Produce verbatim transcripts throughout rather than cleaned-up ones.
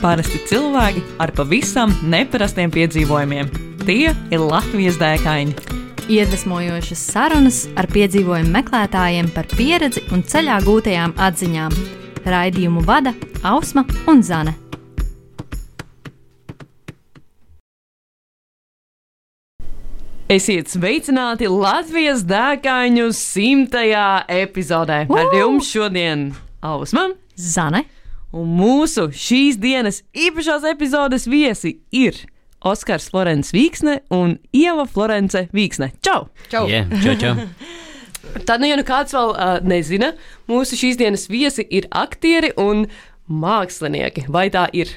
Parasti cilvēki ar pavisam neparastiem piedzīvojumiem. Tie ir Latvijas dēkaini. Iedvesmojošas sarunas ar piedzīvojumu meklētājiem par pieredzi un ceļā gūtajām atziņām. Raidījumu vada Ausma un Zane. Esiet sveicināti Latvijas dēkaņu simtajā epizodē. Ar jums šodien Ausma, Zane. Un mūsu šīs dienas īpašās epizodes viesi ir Oskars Florence Vīksne un Ieva Florence Vīksne. Čau! Čau! Yeah, čau, čau. Tad, nu, ja nu kāds vēl uh, nezina, mūsu šīs dienas viesi ir aktieri un mākslinieki. Vai tā ir?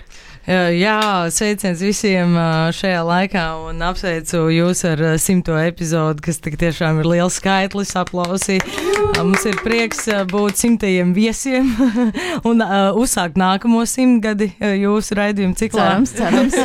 Jā, sveiciens visiem šajā laikā un apsveicu jūs ar simto epizodu, kas tik tiešām ir liels skaitlis, aplausi. Mums ir prieks būt simtajiem viesiem un uh, uzsākt nākamo simtgadi jūsu raidījumu ciklā. Cerams, cerams.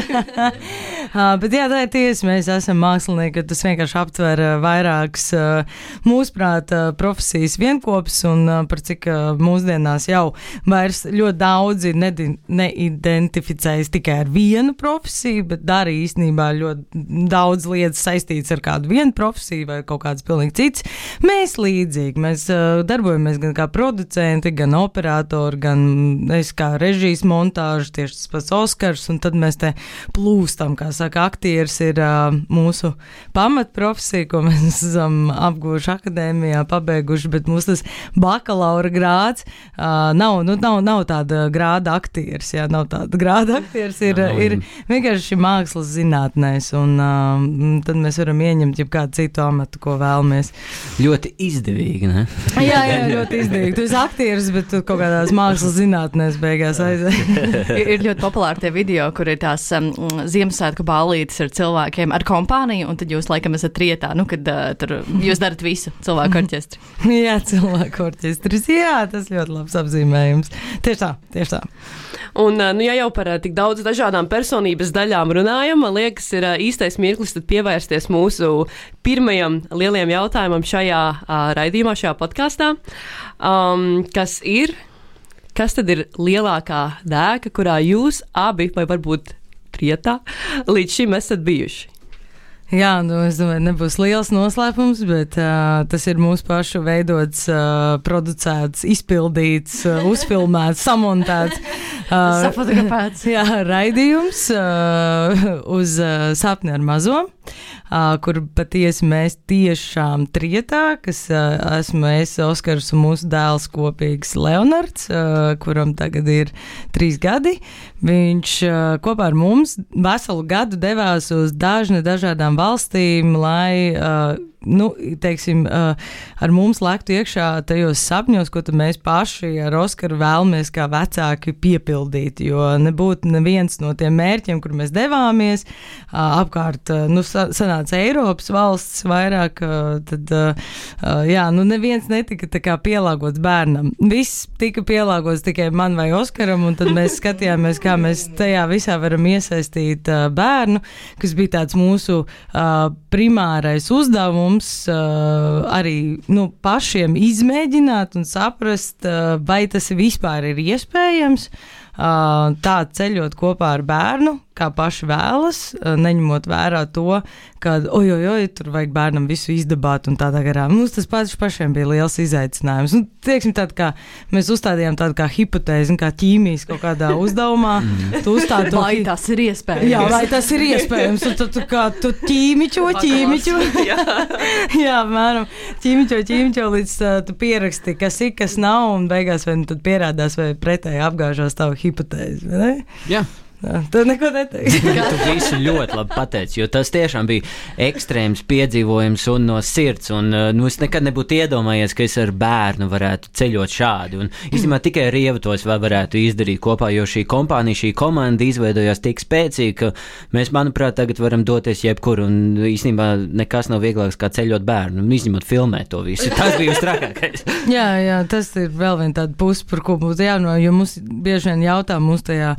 uh, bet jā, tā ir tiesa, mēs esam mākslinieki, tas vienkārši aptver vairākas uh, mūsuprāt uh, profesijas vienkopus un uh, par cik uh, mūsdienās jau vairs ļoti daudzi nedi- neidentificē tikai ar vienu profesiju, bet dara īstenībā ļoti daudz lietas saistītas ar kādu vienu profesiju vai kaut kāds pilnīgi cits. Mēs līdzīgi, mēs uh, darbojamies gan kā producenti, gan operatori, gan es kā režijas montāžu, tieši tas pats Oskars, un tad mēs te plūstam, kā saka, aktieris ir uh, mūsu pamatprofesija, ko mēs esam apguvuši akadēmijā, pabeiguši, bet mums tas bakalaura grāds uh, nav, nu, nav, nav tāda grāda aktieris, jā, nav tāda grāda aktieris ir, ir vienkārši mākslas zinātnēs, un uh, tad mēs varam ieņemt jebkādu citu amatu, ko vēlamies. Ļoti izdevīgi, ne? jā, jā, ļoti izdevīgi. Tu esi aktieris, bet tu kaut kādās mākslas zinātnēs beigās aizēj. Ir ļoti populāri tie video, kur ir tās um, Ziemassvētku ballītes ar cilvēkiem, ar kompāniju, un tad jūs laikam esat trietā, nu, kad uh, tur jūs darat visu cilvēku orķestri. jā, cilvēku orķestris, jā, tas ļoti labs apzīmējums. Tieši tā, tieši tā. Un, nu, ja jau par tik daudz dažādām personības daļām runājam, man liekas, ir īstais mirklis tad pievērsties mūsu pirmajam lielajam jautājumam šajā uh, raidījumā, šajā podkastā. Um, kas ir, kas tad ir lielākā dēka, kurā jūs abi, vai varbūt trietā, līdz šim esat bijuši? Jā, nu, es domāju, nebūs liels noslēpums, bet uh, tas ir mūsu pašu veidots, uh, producēts, izpildīts, uh, uzfilmēts, samontēts. Uh, Safotografēts. Jā, raidījums uh, uz uh, Sapni ar mazo, uh, kur patiesi mēs tiešām trietā, kas uh, esmu es, Oskars un mūsu dēls kopīgs Leonards, uh, kuram tagad ir trīs gadi. Viņš uh, kopā ar mums veselu gadu devās uz dažne dažādām valstīm, lai, uh, nu, teiksim, uh, ar mums lektu iekšā tajos sapņos, ko tad mēs paši ar Oskaru vēlamies kā vecāki piepildīt, jo nebūtu neviens no tiem mērķiem, kur mēs devāmies, uh, apkārt, uh, nu, sanāca Eiropas valsts vairāk, uh, tad, uh, jā, nu, neviens netika tā kā pielāgots bērnam. Viss tika pielāgots tikai man vai Oskaram, un tad mēs skatījāmies, kā mēs tajā visā varam iesaistīt uh, bērnu, kas bija tāds mūsu uh, primārais uzdevums, uh, arī, nu, pašiem izmēģināt un saprast, uh, vai tas vispār ir iespējams, uh, tā ceļot kopā ar bērnu, kā paši vēlas, uh, neņemot vērā to, ka, oj, oj, oj, tur vajag bērnam visu izdabāt un tādā garā. Mums tas pats pašiem bija liels izaicinājums. Nu, teiksim, tād kā, mēs uzstādījām tādu kā hipotēzi, kā ķīmijas kaut kādā uzdevumā. Tu uzstādi to, vai tas ir iespējams? Jā, vai tas ir iespējams. Tu, tu, tu kā tu ķīmiķo, ķīmiķo. Jā, mēram, ķīmiķo, ķīmiķo, līdz uh, tu pieraksti, kas ir, kas nav, un beigās vai nu tad pierādās vai pretēji apgāžās tavu hipotēzi, vai ne? Jā. Tu neko neteiksi. Tu visu ļoti labi pateici, jo tas tiešām bija ekstrēms piedzīvojums un no sirds, un nu, es nekad nebūtu iedomājies, ka es ar bērnu varētu ceļot šādi, un īstenībā tikai ar Ievu tos vēl varētu izdarīt kopā, jo šī kompānija, šī komanda izveidojās tik spēcīgi, ka mēs, manuprāt, tagad varam doties jebkur, un īstenībā nekas nav vieglāks kā ceļot bērnu, un izņemot filmēt to visu. Tas bija trakākais. jā, jā, tas ir vēl viena tāda puse, par ko būtu jāno, jo mums bieži vien jautā mūs tajā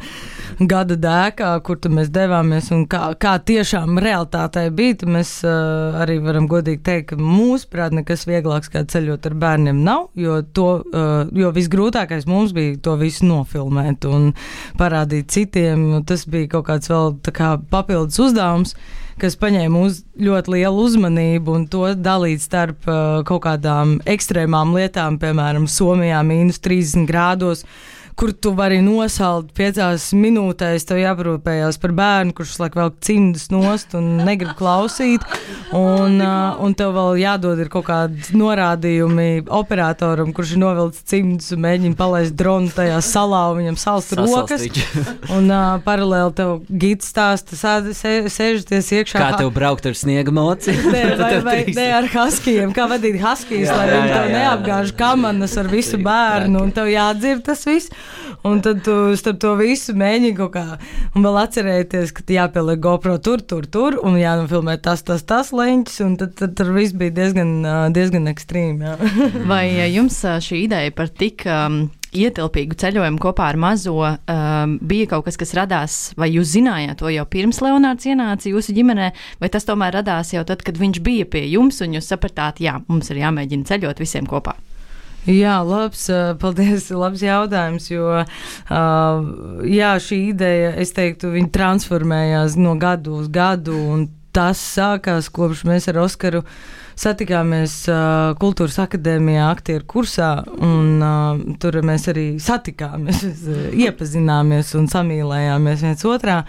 gada dēkā, kur mēs devāmies un kā, kā tiešām realitātei bija, tad mēs uh, arī varam godīgi teikt, ka mūsuprāt nekas vieglāks kā ceļot ar bērniem nav, jo, to, uh, jo visgrūtākais mums bija to visu nofilmēt un parādīt citiem. Tas bija kaut kāds vēl tā kā papildus uzdevums, kas paņēma uz ļoti lielu uzmanību un to dalīt starp uh, kaut kādām ekstrēmām lietām, piemēram, Somijā mīnus trīsdesmit grādos, kur tu vari nosalt piecās minūtēs, tev jāparūpējās par bērnu, kurš laik vēl cimdus nost un negrib klausīt, un, uh, un tev vēl jādod ir kaut kādi norādījumi operatoram, kurš ir novilcis cimdus un mēģina palaist dronu tajā salā, un viņam salst rokas, un uh, paralēli tev gids stāsta, sēžaties iekšā. Kā tev braukt ar sniega moci? Nē, vai, vai, ne ar haskijiem, kā vadīt haskijas, lai viņi tev neapgāž kamanas ar visu bērnu, un tev jādzird tas viss. Un tad tu starp to visu mēģini kaut kā, un vēl atcerēties, ka jāpieliek GoPro tur, tur, tur, un jānofilmē tas, tas, tas leņķis, un tad, tad, tad viss bija diezgan, diezgan ekstrīmi. Vai jums šī ideja par tik um, ietilpīgu ceļojumu kopā ar mazo um, bija kaut kas, kas radās, vai jūs zinājāt to jau pirms Leonārds ienāca jūsu ģimenē, vai tas tomēr radās jau tad, kad viņš bija pie jums, un jūs sapratāt, jā, mums ir jāmēģina ceļot visiem kopā? Jā, labs, paldies, labs jautājums, jo uh, jā, šī ideja, es teiktu, viņa transformējās no gadu uz gadu, un tas sākās, kopš mēs ar Oskaru satikāmies uh, Kultūras akadēmijā aktieru kursā, un uh, tur mēs arī satikāmies, iepazināmies un samīlējāmies viens otrā.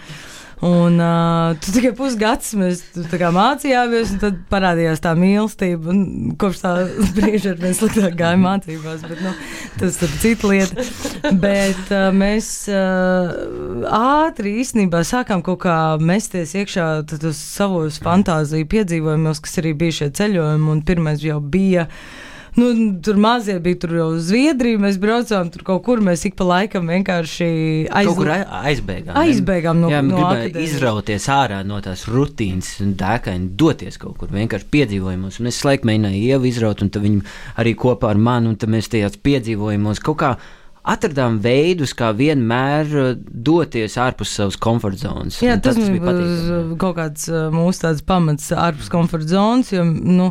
Un uh, tu tikai pusgads mēs tā kā mācījāmies, un tad parādījās tā mīlestība, un kopš tā brīža ar mēs sliktāk gāja mācībās, bet, nu, tas ir cita lieta. Bet uh, mēs uh, ātri īstenībā sākām kaut kā mesties iekšā tos savos fantāziju piedzīvojumos, kas arī bija šie ceļojumi, un pirmais jau bija Nu, tur mazie bija tur jau Zviedrija, mēs braucām tur kaut kur, mēs ik pa laikam vienkārši aiz... kaut kur aizbēgām. Aizbēgām no, jā, no akadēmijas. Izrauties ārā no tās rutīnas un dēkaini doties kaut kur, vienkārši piedzīvojumos. Un es laik mēģināju Ievu izraut, un tad viņi arī kopā ar mani, un tad mēs tajās piedzīvojumos kaut kā atradām veidus, kā vienmēr doties ārpus savas komforta zonas. Jā, tas, tas bija patīkami. Kaut kāds mūsu tāds pamats ārpus komforta zonas, jo, nu,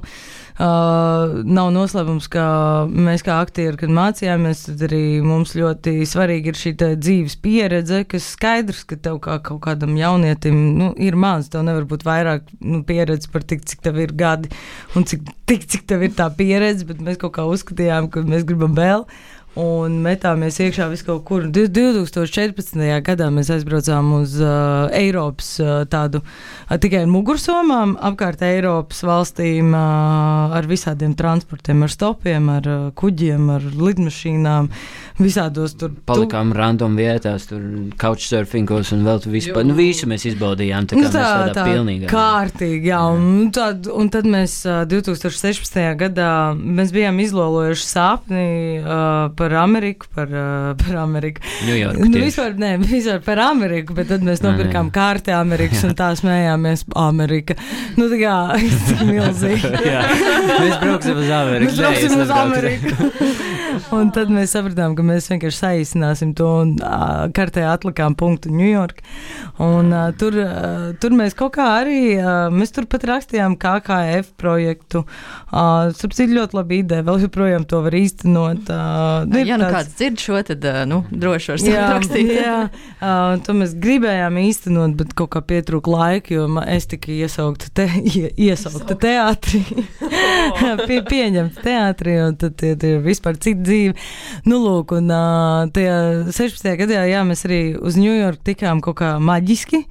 Uh, nav noslēpums, ka mēs kā aktieri, kad mācījāmies, tad arī mums ļoti svarīgi ir šī dzīves pieredze, kas skaidrs, ka tev kā kaut kādam jaunietim nu, ir maz, tev nevar būt vairāk nu, pieredze par tik, cik tev ir gadi un cik, tik, cik tev ir tā pieredze, bet mēs kaut kā uzskatījām, ka mēs gribam vēl. Un metāmies iekšā visu kaut kur. divtūkstoš četrpadsmitajā gadā mēs aizbraucām uz uh, Eiropas uh, tādu uh, tikai ar mugursomām, apkārt Eiropas valstīm uh, ar visādiem transportiem, ar stopiem, ar uh, kuģiem, ar lidmašīnām, visādos tur. Palikām tu... random vietās, tur couchsurfingos un vēl tu vispār, nu visu mēs izbaudījām, tā kā nu, tā, mēs tādā tā, pilnīgā. Kārtīgi, jā, un, tad, un tad mēs uh, divtūkstoš sešpadsmitajā gadā mēs bijām izlolojuši sapni uh, par par Ameriku, par, uh, par Ameriku. Ņujorku nu, vispār, ne, vispār par Ameriku, bet tad mēs nopirkām kārti Amerikas un tā smējāmies Amerika. Nu, tā kā, milzīgi. Jā, mēs brauksim uz Ameriku. Mēs brauksim uz Ameriku. Un tad mēs sapratām, ka mēs vienkārši saīsināsim to un uh, kartē atlikām punktu Ņujorku. Un uh, tur, uh, tur mēs kaut kā arī, uh, mēs tur pat rakstījām K K F projektu. Uh, Sapcīt ļoti labi ideja, vēl joprojām to var īstenot. Uh, Ja nu tāds... kāds dzird šo, tad nu, droši var savu rakstīt. Jā, uh, to mēs gribējām īstenot, bet kaut kā pietrūka laika, jo es tikai iesaukta, te, ie, iesaukta teātrī, Pie, pieņemta teātrī, un tad tie ir vispār cita dzīve. Nu, lūk, un uh, tajā sešpadsmitajā gadā, jā, mēs arī uz Ņujorku tikām kaut kā maģiski,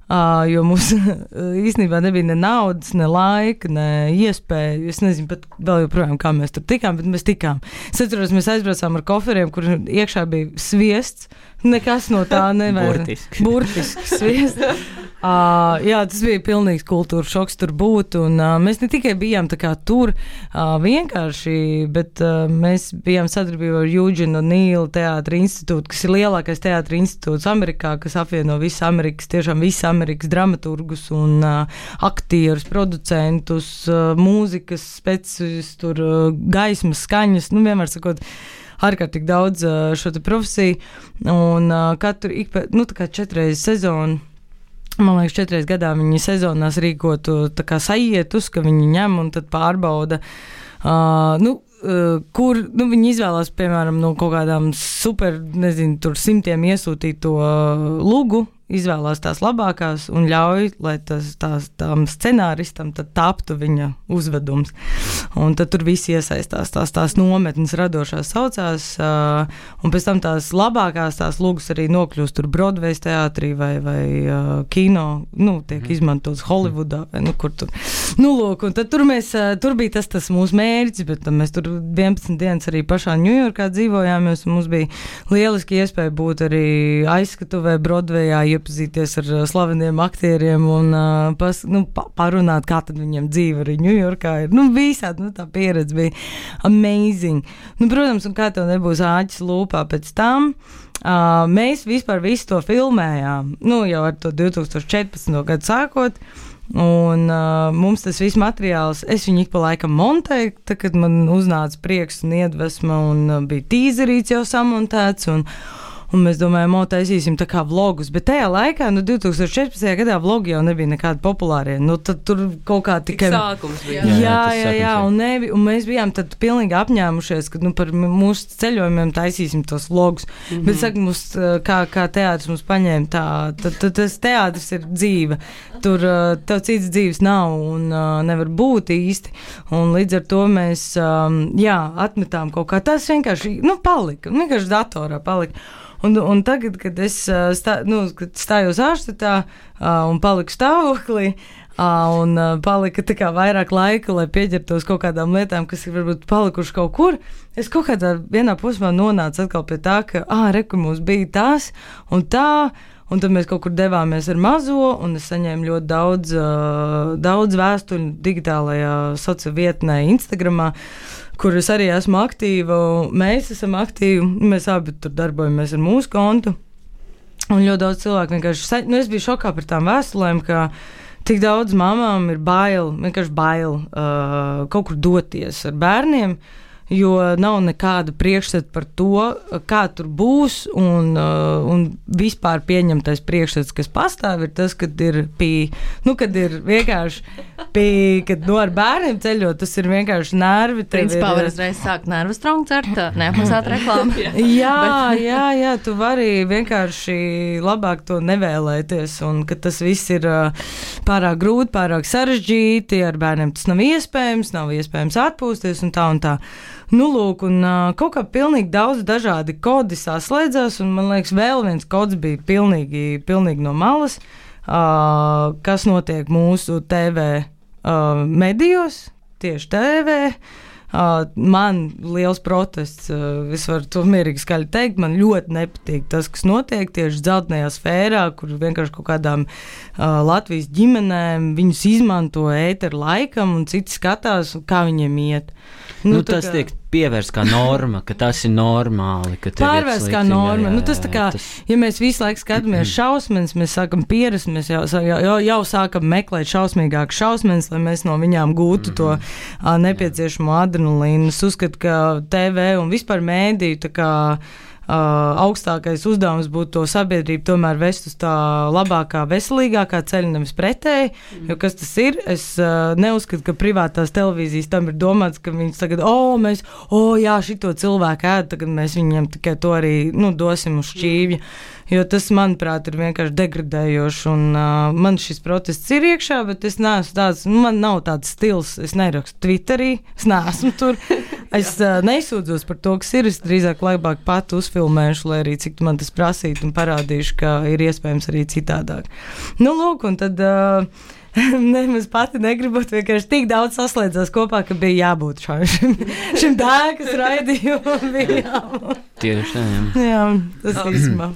Uh, jo mums īstenībā nebija ne naudas, ne laika, ne iespēja. Es nezinu pat vēl joprojām, kā mēs tur tikām, bet mēs tikām. Es atceros, mēs aizbraucām ar koferiem, kur iekšā bija sviests. Nekas no tā nevar. Burtiski. Burtiski sviests. Uh, jā, tas bija pilnīgs kultūras šoks tur būt, un uh, mēs ne tikai bijām tā kā tur uh, vienkārši, bet uh, mēs bijām sadarbībā ar Eugene O'Neill teātra institūtu, kas ir lielākais teātra institūts Amerikā, kas apvieno visu Amerikas, tiešām visu Amerikas dramaturgus un uh, aktierus, producentus, uh, mūzikas specis, tur uh, gaismas, skaņas, nu vienmēr sakot, ārkārtīgi daudz uh, šo te profesiju, un uh, katru, ik pēc, nu, tā kā četreiz sezonu, man liekas, četreiz gadā viņi sezonās rīkotu tā kā sajietus, ka viņi ņem un tad pārbauda, uh, nu, uh, kur, nu, viņi izvēlās, piemēram, no kaut kādām super, nezinu, tur simtiem iesūtīto uh, lugu, izvēlās tās labākās un ļauj, lai tas, tās, tām scenāristam tad taptu viņa uzvedums. Un tad tur visi iesaistās, tās, tās nometnes radošās saucās, uh, un pēc tam tās labākās tās lūgas arī nokļūst tur Broadways teātrī vai, vai uh, kino, nu, tiek izmantots Hollywoodā, vai nu, kur tur. Nu, lūk, un tad tur mēs, uh, tur bija tas, tas mūsu mērķis, bet mēs tur vienpadsmit dienas arī pašā Ņujorkā dzīvojāmies, un mums bija lieliski iespēja būt arī aizskatuvē Broadwayā, iepazīties ar slaveniem aktieriem un uh, pas, nu, pa, parunāt, kā tad viņiem dzīve arī Ņujorkā ir. Nu, visādi, nu, tā pieredze bija amazing. Nu, protams, un kā tev nebūs āķis lūpā pēc tam, uh, mēs vispār visu to filmējām, nu, jau ar to divtūkstoš četrpadsmito gadu sākot, un uh, mums tas viss materiāls, es viņu ik pa laikam montēju, tad, kad man uznāca prieks un iedvesma, un uh, bija tīzerīts jau samontēts, un Un mēs domājam, o, taisīsim tā kā vlogus, bet tajā laikā, nu, divtūkstoš četrpadsmitajā gadā vlogi jau nebija nekādi populārie. Nu, tad tur kaut kā tikai... Tik sākums bija. Jā, jā, tas jā, jā un, nevi, un mēs bijām tad pilnīgi apņēmušies, ka, nu, par mūsu ceļojumiem taisīsim tos vlogus. Mm-hmm. Bet, saka, mums, kā, kā teātris mums paņēma tā, tad, tad tas teātris ir dzīve. Tur tev cits dzīves nav un uh, nevar būt īsti. Un līdz ar to mēs, um, jā, atmetām kaut kā. Tas vienkārši, nu, palika. Vienkārši datorā palika. Un, un tagad, kad es stā, nu, kad stājos ārštatā uh, un paliku stāvoklī, uh, un uh, palika tā kā vairāk laika, lai pieķertos kaut kādām lietām, kas ir varbūt palikuši kaut kur, es kaut kādā vienā posmā nonācu atkal pie tā, ka, ā, re, kur mums bija tas un tā, un tad mēs kaut kur devāmies ar mazo, un es saņēmu ļoti daudz, uh, daudz vēstuļu digitālajā sociālajā vietnē, Instagramā, kur es arī esmu aktīva, mēs esam aktīvi, mēs abi tur darbojamies ar mūsu kontu, un ļoti daudz cilvēku vienkārši, nu es biju šokā par tām vēstulēm, ka tik daudz mamām ir bail, vienkārši bail uh, kaut kur doties ar bērniem, jo nav nekāda priekšstata par to, kā tur būs, un, uh, un vispār pieņemtais priekšstats, kas pastāv, ir tas, kad ir pie, nu, kad ir vienkārši pie, kad, nu, ar bērniem ceļot, tas ir vienkārši nervi. Principā var uzreiz sākt nervu strongu cert, neapmaksāt reklāmu. jā, jā, jā, tu vari vienkārši labāk to nevēlēties, un ka tas viss ir uh, pārāk grūti, pārāk sarežģīti, ar bērniem tas nav iespējams, nav iespējams atpūsties, un tā un tā. Nu, lūk, un uh, kaut kā pilnīgi daudz dažādi kodi saslēdzās, un man liekas, vēl viens kods bija pilnīgi, pilnīgi no malas, uh, kas notiek mūsu T V uh, medijos, tieši T V. Uh, man liels protests, uh, es varu to mierīgi skaļi teikt, man ļoti nepatīk tas, kas notiek tieši dzeltenajā sfērā, kur vienkārši kaut kādām uh, Latvijas ģimenēm viņus izmanto ēteru laikam un citi skatās, kā viņiem iet. Nu, nu, tas kā... tiek pievērsts kā norma, ka tas ir normāli. Pārvērsts kā norma. Jā, jā, nu, tas tā kā, tas... ja mēs visu laiku skatāmies šausmenes, mēs sākam pierast, mēs jau, jau, jau sākam meklēt šausmīgākas šausmenes, lai mēs no viņām gūtu mm-hmm. to a, nepieciešamo adrenalīnu. Es uzskatu, ka T V un vispār mēdīju tā kā Uh, augstākais uzdevums būtu to sabiedrību tomēr vest uz tā labākā, veselīgākā ceļa, nevis pretēji, mm. jo kas tas ir? Es uh, neuzskatu, ka privātās televīzijas tam ir domāts, ka viņas tagad, o, oh, mēs, o, oh, jā, šito cilvēku ēd, tagad mēs viņiem tikai to arī, nu, dosim uz šķīvja. Mm. Jo tas, manuprāt, ir vienkārši degradējoši, un uh, man šis protests ir iekšā, bet es neesmu tāds, nu, man nav tāds stils, es nerakstu Twitterī, es neesmu tur, es uh, nesūdzos par to, kas ir, es drīzāk labāk pat uzfilmēšu, lai arī cik man tas prasītu un parādīšu, ka ir iespējams arī citādāk. Nu, lūk, un tad... Uh, Nemaz pati negribot, vienkārši tik daudz saslēdzās kopā, ka bija jābūt šim, šim dēkas raidījumam. Bija jābūt. Tieši tā, jā. Jā, tas īstenībā.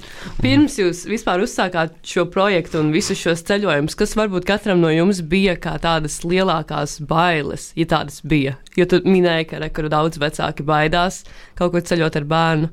Pirms jūs vispār uzsākāt šo projektu un visus šos ceļojumus, kas varbūt katram no jums bija kā tādas lielākās bailes, ja tādas bija? Jo tu minēji, ka, re, ka daudz vecāki baidās kaut kur ceļot ar bērnu.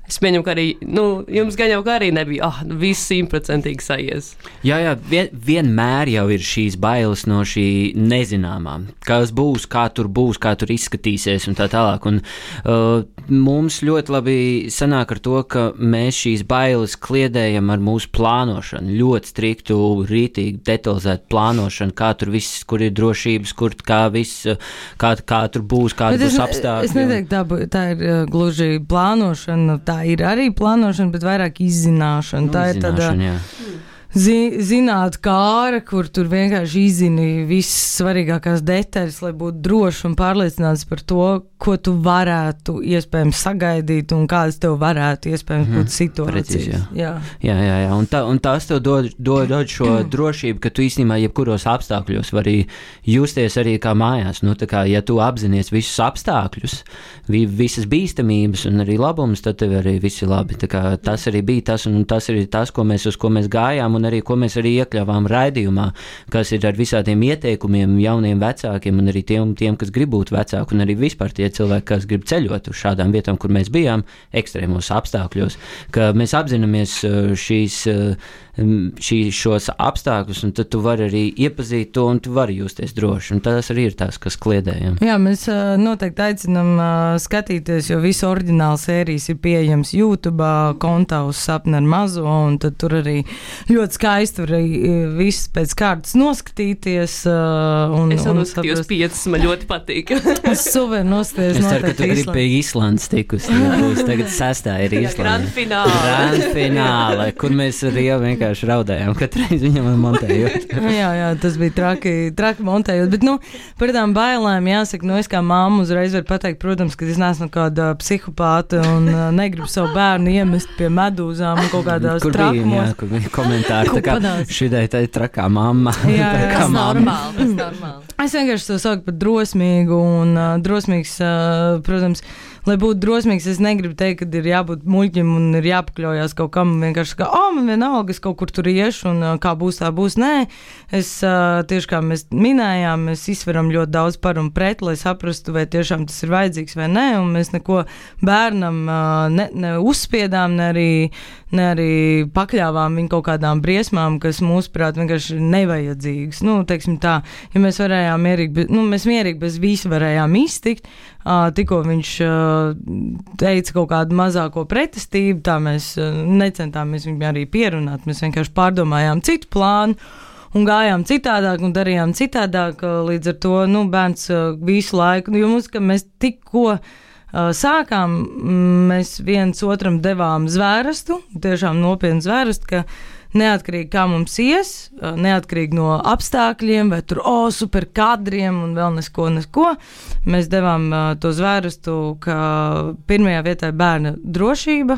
Es pieņemu, ka arī, nu, jums gan jau kā arī nebija, ah, viss simtprocentīgi saies. Jā, jā, vien, vienmēr jau ir šīs bailes no šī nezināmā, kas būs, kā tur būs, kā tur izskatīsies un tā tālāk. Un uh, mums ļoti labi sanāk ar to, ka mēs šīs bailes kliedējam ar mūsu plānošanu, ļoti striktu, rītīgi, detalizētu plānošanu, kā tur viss, kur ir drošības, kur kā viss, kā, kā tur būs, kādi būs apstākļi. Es neteiktu, tā, tā ir uh, gluži plānošana, tā ir arī plānošana, bet vairāk izzināšana. Nu, tā ir tāda zi, zināt kāra, kur tur vienkārši izzini visas svarīgākās detaļas, lai būtu droši un pārliecināts par to, ko tu varētu iespējams sagaidīt un kādas tev varētu iespējams mm, būt situācijas. Precīzi, jā. Jā. Jā, jā, jā. Un, tā, un tās tev dod, dod, dod šo drošību, ka tu īstenībā jebkuros apstākļos vari justies arī kā mājās. Nu, tā kā, ja tu apzinies visus apstākļus, vi, visas bīstamības un arī labumus, tad tev arī viss ir labi. Tā kā, tas arī bija tas, un tas arī tas, ko mēs, uz ko mēs gājām, un arī ko mēs arī iekļāvām raidījumā, kas ir ar visādiem ieteikumiem jauniem vecākiem un arī tiem, tiem kas grib būt vecāki, un arī vispār tie cilvēki, kas grib ceļot uz šādām vietām, kur mēs bijām, ekstrēmos apstākļos, ka mēs apzināmies šīs, šīs šos apstākļus, un tad tu vari arī iepazīt to, un tu vari justies droši, un tas arī ir tās, kas kliedējam. Jā, mēs noteikti aicinam skatīties, jo visu oriģinālu sērijas ir pieejams YouTube, kontā uz Sapni ar mazo, un tad tur arī ļoti skaisti var viss pēc kārtas noskatīties. Un, es jau un noskatījos piecas, man ļoti patīk. Es suver nostājos. Es ceru, ka tu gribi pie Islandes tikus. Tagad sestā ir Islanda. Grand fināle. Grand fināle, kur mēs arī jau vienkārši raudējām katru reizi viņam montējot. jā, jā, tas bija traki, traki montējot. Bet, nu, par tām bailēm jāsaka, nu, es kā mamma uzreiz varu pateikt, protams, ka es neesmu kāda psihopāta un uh, negribu savu bērnu iemest pie medūzām un kaut kādās kur trakumos. Bija, jā, kur bija komentāri, tā kā šidai tā ir trakā mamma. Jā, jā, tas normāli, tas normāli. Es vienkārši to saucu par drosmīgu un uh, drosmīgs, uh, protams, lai būtu drosmīgs, es negribu teikt, ka ir jābūt muļķim un ir jāpakļaujās kaut kam vienkārši kā, o, man vienalga, es kaut kur tur iešu un uh, kā būs, tā būs. Nē, es uh, tieši kā mēs minējām, mēs izsveram ļoti daudz par un pret, lai saprastu, vai tiešām tas ir vajadzīgs vai nē, un mēs neko bērnam uh, ne, ne uzspiedām, ne arī, ne arī pakļāvām viņu kaut kādām briesmām, kas mūsuprāt vienkārši nevajadzīgas. Nu, teiksim tā, ja mēs varējām mierīgi, nu, mēs mierīgi bez visu varējām iztikt, uh, tikko viņš uh, teica kaut kādu mazāko pretestību, tā mēs uh, necentāmies viņu arī pierunāt, mēs vienkārši pārdomājām citu plānu un gājām citādāk un darījām citādāk, līdz ar to, nu, bērns uh, visu laiku, jo mums, ka mēs tikko uh, sākām, mēs viens otram devām zvērestu, tiešām nopietnu zvērestu, ka neatkarīgi kā mums ies, neatkarīgi no apstākļiem, vai tur, o, super kadriem un vēl nesko, nesko, mēs devām uh, to zvērestu, ka pirmajā vietā ir bērna drošība,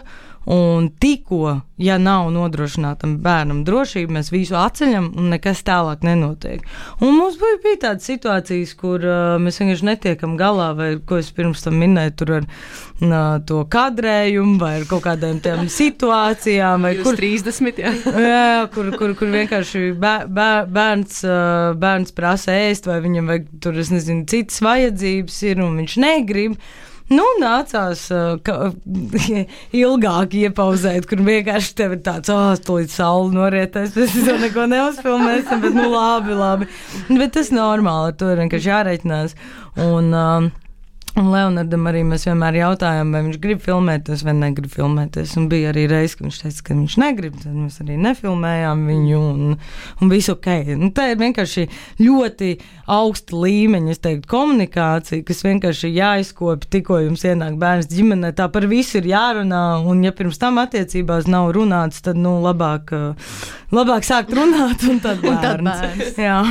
un tikko, ja nav nodrošinātam bērnam drošība, mēs visu atceļam un nekas tālāk nenotiek. Un mums bija, bija tādas situācijas, kur uh, mēs vienkārši netiekam galā, vai, ko es pirms tam minēju, tur ar uh, to kadrējumu, vai ar kaut kādām tām situācijām, vai kur trīsdesmit, jā. jā, kur, kur, kur vienkārši bēr, bēr, bērns, uh, bērns prasa ēst, vai viņam vajag tur, es nezinu, citas vajadzības ir, un viņš negrib. Nu, nācās uh, ka, ilgāk iepauzēt, kur vienkārši tev ir tāds, oh, tūlīt saule norietēs, mēs to neko neuzfilmēsim, bet nu labi, labi. Bet tas normāli, ar to ir vienkārši jāreikinās. Un, um, un Leonardam arī mēs vienmēr jautājām, vai viņš grib filmēties vai negrib filmēties. Un bija arī reiz, ka viņš teica, ka viņš negrib, tad mēs arī nefilmējām viņu un, un visu ok. Nu, tā ir vienkārši ļoti augsta līmeņa, es teiktu, komunikācija, kas vienkārši jāizkopja, tikko jums ienāk bērns ģimenē, tā par visu ir jārunā, un ja pirms tam attiecībās nav runāts, tad, nu, labāk, labāk sākt runāt, un tad bērns. Un tad bērns. Jā.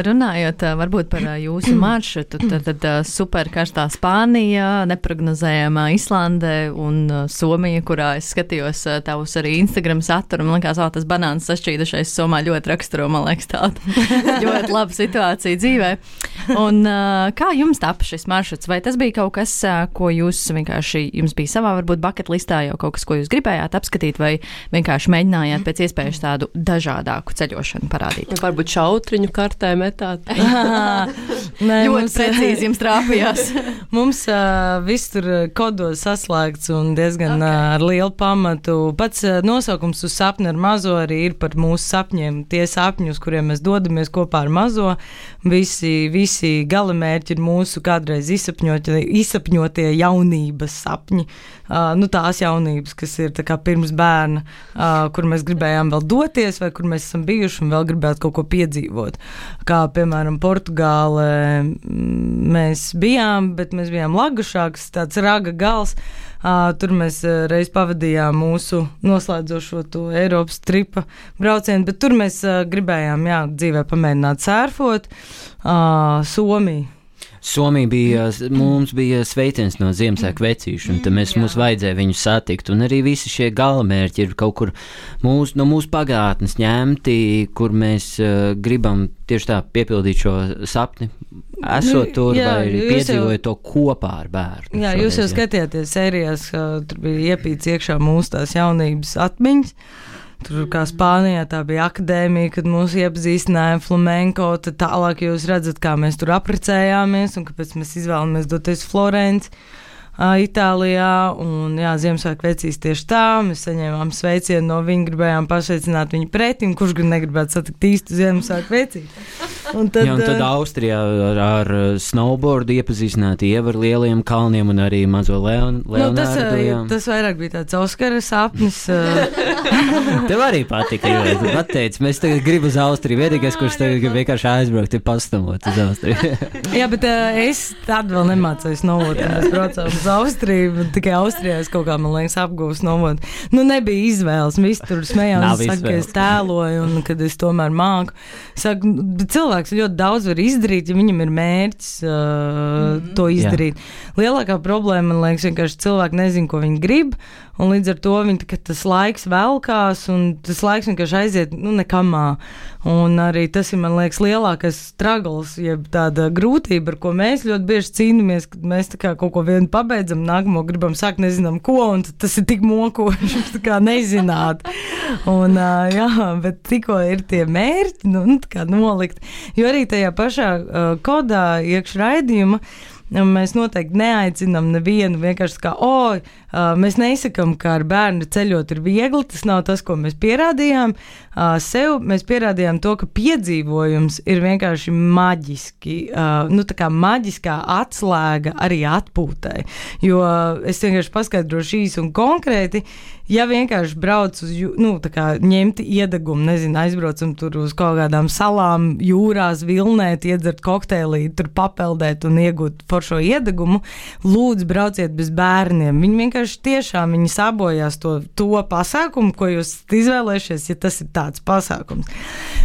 Runājot varbūt par jūsu maršrutu, tad, tad super karstā Spānija, neprognozējamā Islande un Somija, kurā es skatījos tavus arī Instagram saturu, man liekas, o, tas banāns sašķīdušais Somā ļoti raksturo, man liekas, tāda ļoti laba situācija dzīvē. Un kā jums tapa šis maršruts? Vai tas bija kaut kas, ko jūs vienkārši, jums bija savā varbūt bucket listā jau kaut kas, ko jūs gribējāt apskatīt, vai vienkārši mēģinājāt pēc iespējas tādu dažādāku ceļošanu parādīt? Ja varbūt šautriņu kartē metāt. Nē, ļoti mums... precīzi jums trāpījās. mums uh, viss tur kodos saslēgts un diezgan okay. uh, ar lielu pamatu. Pats uh, nosaukums uz sapni ar mazo arī ir par mūsu sapņiem. Tie sapņi, uz kuriem mēs dodamies kopā ar mazo, visi, visi galamērķi ir mūsu kādreiz izsapņotie, izsapņotie jaunības sapņi. Uh, nu, tās jaunības, kas ir tā kā pirms bērna, uh, kur mēs gribējām vēl doties, vai kur mēs esam bijuši un vēl gribētu kaut ko piedzīvot. Kā, piemēram, Portugālē mēs bijām, bet mēs bijām Lagušāks, tāds Raga gals. Uh, tur mēs uh, reiz pavadījām mūsu noslēdzošo to Eiropas tripa braucienu, bet tur mēs uh, gribējām, jā, dzīvē pamēģināt sērfot. Uh, Somija. Somija bija, mums bija sveiciens no Ziemassvētku vecīšu, un tad mēs, mums vajadzēja viņus satikt, un arī visi šie galamērķi ir kaut kur mūs, no mūsu pagātnes ņemti, kur mēs uh, gribam tieši tā piepildīt šo sapni, esot tur, jā, vai piedzīvojot to kopā ar bērnu. Jā, jūs jau skatījāties sērijās, tur bija iepīts iekšā mūsu tās jaunības atmiņas. Tur kā Spānijā tā bija akadēmija, kad mūs iepazīstināja flamenko, tad tālāk jūs redzat, kā mēs tur apprecējāmies un kāpēc mēs izvēlamies doties Florenci, Itālijā, un jā, Ziemassvētku vecīs tieši tā, mēs saņēmām sveicienu no viņa, gribējām pasveicināt viņu pretim, kurš gan negribētu satikt īstu Ziemassvētku vecīti. Un tad, jā, un tad Austrijā ar, ar snowboardu iepazīstināt Ieva ar lieliem kalniem un arī mazo Leon, Leonārdu. Nu, tas, tas vairāk bija tāds Oskara sapnis. Tev arī patika, jo tu pateici, mēs tagad gribu uz Austriju, vienīgais, kurš tagad grib vienkārši aizbraukt, ir pastamot uz Austriju. Jā, bet uh, es tad vēl nemācēju snowboard, un mēs braucām uz Austriju, tikai Austrijā es kaut kā, man liekas, apgūstu snowboard. Nu, nebija izvēles, visi tur smējās, saka, ka es tēloju, un kad es tomēr māku. Saku, bet cilvēks ļoti daudz var izdarīt, ja viņam ir mērķis uh, mm-hmm. to izdarīt. Jā. Lielākā problēma, man liekas, vienkārši cilvēki nezin, ko viņi grib, un līdz ar to viņi, tas laiks velkās, un tas laiks vienkārši aiziet, nu, nekamā. Un arī tas ir, man liekas, lielākais struggles, jeb tāda grūtība, ar ko mēs ļoti bieži cīnāmies, kad mēs tā kā kaut ko vienu pabeidzam, nākamo gribam sākt, nezinām ko, un tas ir tik mokoši, tā kā nezināt. Un, jā, bet tikko ir tie mērķi, nu, tā kā nolikt, jo arī tajā pašā uh, kodā iekš raidījuma, mēs noteikti neaicinām nevienu vienkārši kā, oi, uh, mēs neizsakam, ka ar bērnu ceļot ir viegli, tas nav tas, ko mēs pierādījām uh, sev, mēs pierādījām to, ka piedzīvojums ir vienkārši maģiski, uh, nu tā kā maģiskā atslēga arī atpūtai, jo uh, es vienkārši paskaidrošu īsi un konkrēti, ja vienkārši brauc uz, nu, tā kā ņemti iedegumu, nezinu, aizbraucam tur uz kaut kādām salām, jūrās, vilnēt, iedzert kokteilī, tur papeldēt un iegūt foršo iedegumu, lūdzu brauciet bez bērniem. Viņi vienkārši tiešām, viņi sabojās to, to pasākumu, ko jūs izvēlēšies, ja tas ir tāds pasākums.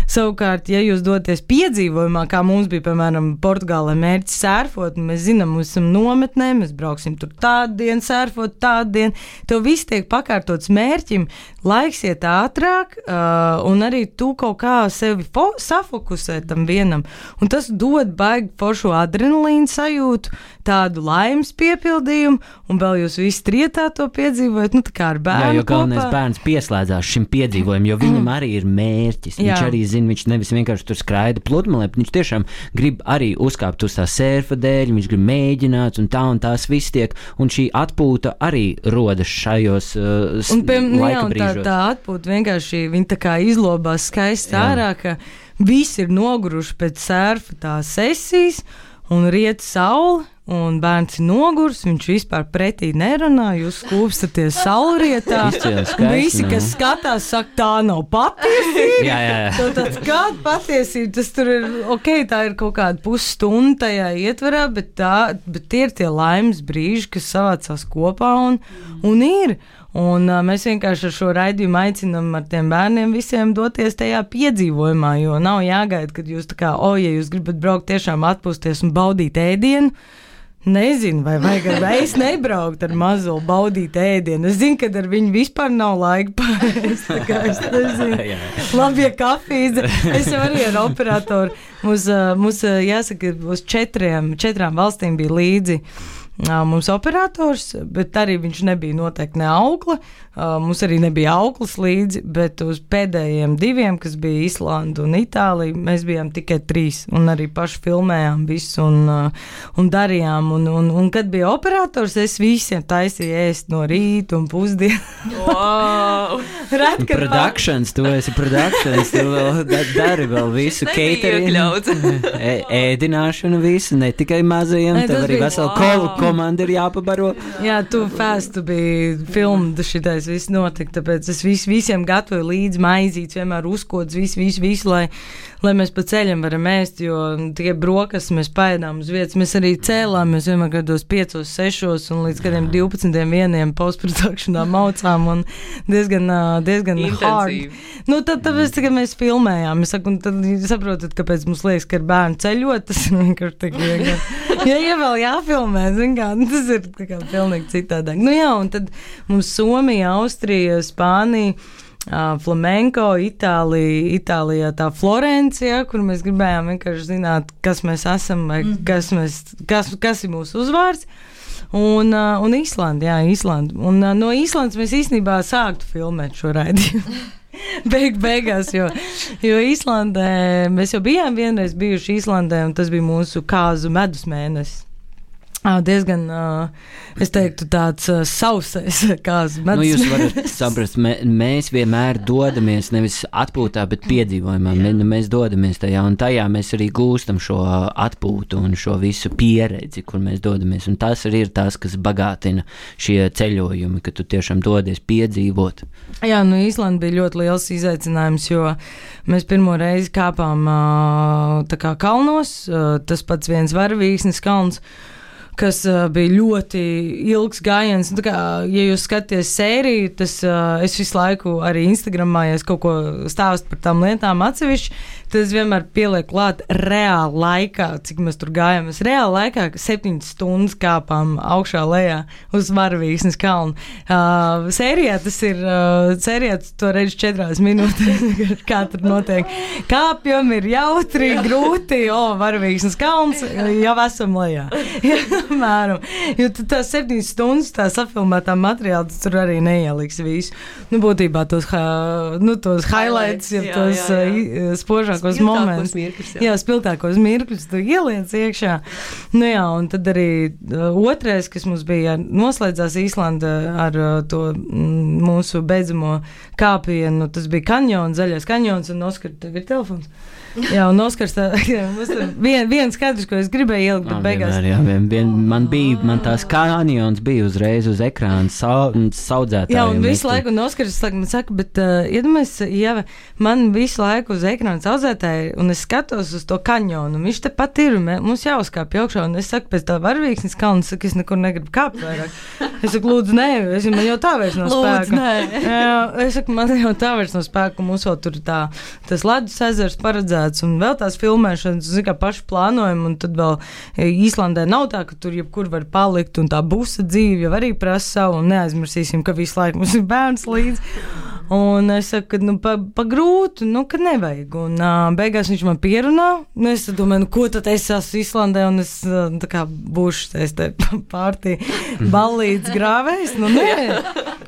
Savukārt, ja jūs doties piedzīvojumā, kā mums bija, piemēram, Portugālē mērķis sērfot, mēs zinām, mēs esam nometnē, mēs brauksim tur tādu dienu sērfot, tādu dienu, tev viss tiek pakārtot mērķim, laiks iet ātrāk, uh, un arī tu kaut kā sevi fo- safokusē tam vienam, un tas dod baigi foršu adrenalīnu sajūtu, tādu laimes piepildījumu, un vēl jūs visi trietā to piedzīvojat, nu tā kā ar bērnu. Jā, jo galvenais bērns pieslēdzās šim piedzīvojumam, jo viņam arī ir mērķis. Viņš Jā. arī zina, viņš nevis vienkārši tur skraida pludmalē, viņš tiešām grib arī uzkāpt uz tā sērfa dēļ, viņš grib mēģināt, un tā un tās viss tiek, un šī atpūta arī rodas šajos uh, un, pie, jā, un tā, tā atpūta vienkārši viņa tā kā izlobās skaisti ārā, ka visi ir noguruši pēc sērfa tās sesijas un riet saule, un bērns ir nogurs, viņš vispār pretī nerunā, jūs skūpstaties saulrietā, visi, kas skatās, saka, tā nav patiesība. jā, jā, jā. Tad kāda patiesība, tas tur ir, ok, tā ir kaut kāda pusstunda tajā ietverā, bet, tā, bet tie ir tie laimes brīži, kas savācās kopā un, un ir. Un uh, mēs vienkārši ar šo raidījumu aicinām ar tiem bērniem visiem doties tajā piedzīvojumā, jo nav jāgaida, kad jūs tā kā, o, ja jūs gribat braukt tiešām atpūsties un baudīt ēdienu, nezinu, vai vajag ar es nebraukt ar mazo baudīt ēdienu. Es zinu, ka ar viņu vispār nav laika pārēst, tā kā es nezinu. Labi, ja kafijas, es jau arī ar operatoru, mums, mums jāsaka, uz četriem, četrām valstīm bija līdzi mums operators, bet arī viņš nebija noteikti ne aukla. Mums arī nebija auklas līdzi, bet uz pēdējiem diviem, kas bija Islanda un Itālija, mēs bijām tikai trīs un arī paši filmējām visu un, un darījām. Un, un, un kad bija operators, es visiem taisīju ēst no rīta un pusdienu. Wow! Red, productions, tu esi productions, tu vēl dari vēl visu catering, ēdināšanu visu, ne tikai mazajiem, ne, tev arī vesela wow. komanda ir jāpabaro. Jā, tu fast, tu biji filmda šitais viss notika, tāpēc es vis, visiem gatavoju līdzi maizītes, vienmēr uzkodas visu, visu, visu, lai, lai mēs pa ceļam varam ēst, jo tikai brokas mēs paēdām uz vietas, mēs arī cēlām, mēs vienmēr kādos piecos, sešos un līdz kādiem divpadsmitiem vieniem postprodukšanā maucām un diezgan, diezgan hard. Nu, tad, tāpēc, kad mēs filmējām, es saku, un tad saprotat, kāpēc mums liekas, ka ir bērni ceļot, tas vienkārši tik vienkārši. Ja, ja vēl jāfilmē, zin kā, tas ir tā kā pilnīgi citādāk. Nu jā, un tad mums Somija, Austrija, Spānija, uh, flamenko, Itālija, Itālijā tā Florencija, kur mēs gribējām vienkārši zināt, kas mēs esam, vai mm. kas, mēs, kas, kas ir mūsu uzvārds. Un, uh, un Īslanda, jā, Īslanda. Un uh, no Īslandes mēs īstenībā sāktu filmēt šo raidījumu. Beig, beigās, jo, jo Īslandē, mēs jau bijām vienreiz bijuši Īslandē, un tas bija mūsu kāzu medus mēnesis. Diezgan, es teiktu, tāds sausais kāds medus. Nu, jūs varat saprast, mē, mēs vienmēr dodamies nevis atpūtā, bet piedzīvojumā. Mē, mēs dodamies tajā, un tajā mēs arī gūstam šo atpūtu un šo visu pieredzi, kur mēs dodamies. Un tas arī ir tas, kas bagātina šie ceļojumi, ka tu tiešām dodies piedzīvot. Jā, nu Īslanda bija ļoti liels izaicinājums, jo mēs pirmo reizi kāpām tā kā kalnos, tas pats viens Varavīksnes kalns, kas uh, bija ļoti ilgs gājiens. Tā kā, ja jūs skaties sēriju, tas uh, es visu laiku arī Instagramā, ja es kaut ko stāstu par tām lietām atsevišķi, tad es vienmēr pielieku klāt reāli laikā, cik mēs tur gājām. Mēs reāli laikā septiņas stundas kāpām augšā lejā uz Varavīksnes kalnu. Uh, sērijā tas ir, uh, sērijā to redz četrās minūtēs, kā tur notiek. Kāpjam ir jautri, grūti, o, Varavīksnes kalns, jau esam lejā. Mēram. Jo tās septiņas stundas, tā safilmētā materiāla, tas tur arī neieliks visu. Nu, būtībā tos, nu, tos highlights, ja jā, tos jā, jā. spožākos momentus. Mirkļus, jā. jā, spilgtākos mirkļus, tu ieliec iekšā. Nu jā, un tad arī otrais, kas mums bija, noslēdzās Īslanda ar to mūsu beidzamo kāpienu, tas bija kanjons, zaļais kanjons, un Oskar, tev ir telefons? Jā, un Oskars, tā, vien, viens skaidrs, ko es gribēju ielikt, bet beigās. Vienmēr, jā, vien, vien, man bija, man tās kanjons bija uzreiz uz ekrāna sau, saudzētāju. Jā, un visu laiku, un Oskars man saka, bet uh, iedomājies, ja man visu laiku uz ekrāna saudzētāju, un es skatos uz to kanjonu, un viņš te pat ir, un mums jāuzkāpj augšā, un es saku, pēc tā Varavīksnes kalna, saku, es nekur negribu kāpt vairāk. Es saku, lūdzu, nē, es, man jau tā vairs nav spēka. Lūdzu, nē. Jā, es saku, man jau tā vairs nav spēka, un mums vēl tur tā, tas ledus ezers paredzēts, un vēl tās filmēšanas, zin kā paši plānojam, un tad vēl Īslandē nav tā, ka tur jebkur var palikt, un tā busa dzīve jau arī prasa savu, un neaizmirsīsim, ka visu laiku mums ir bērns līdzi. Un es saku, ka nu, pa, pa grūtu, nu, ka nevajag. Un uh, beigās viņš man pierunā, nu, es domāju, nu, ko tad es esmu Īslandē, un es uh, tā kā būšu es te pārtī ballītes grāvējs, nu, nē.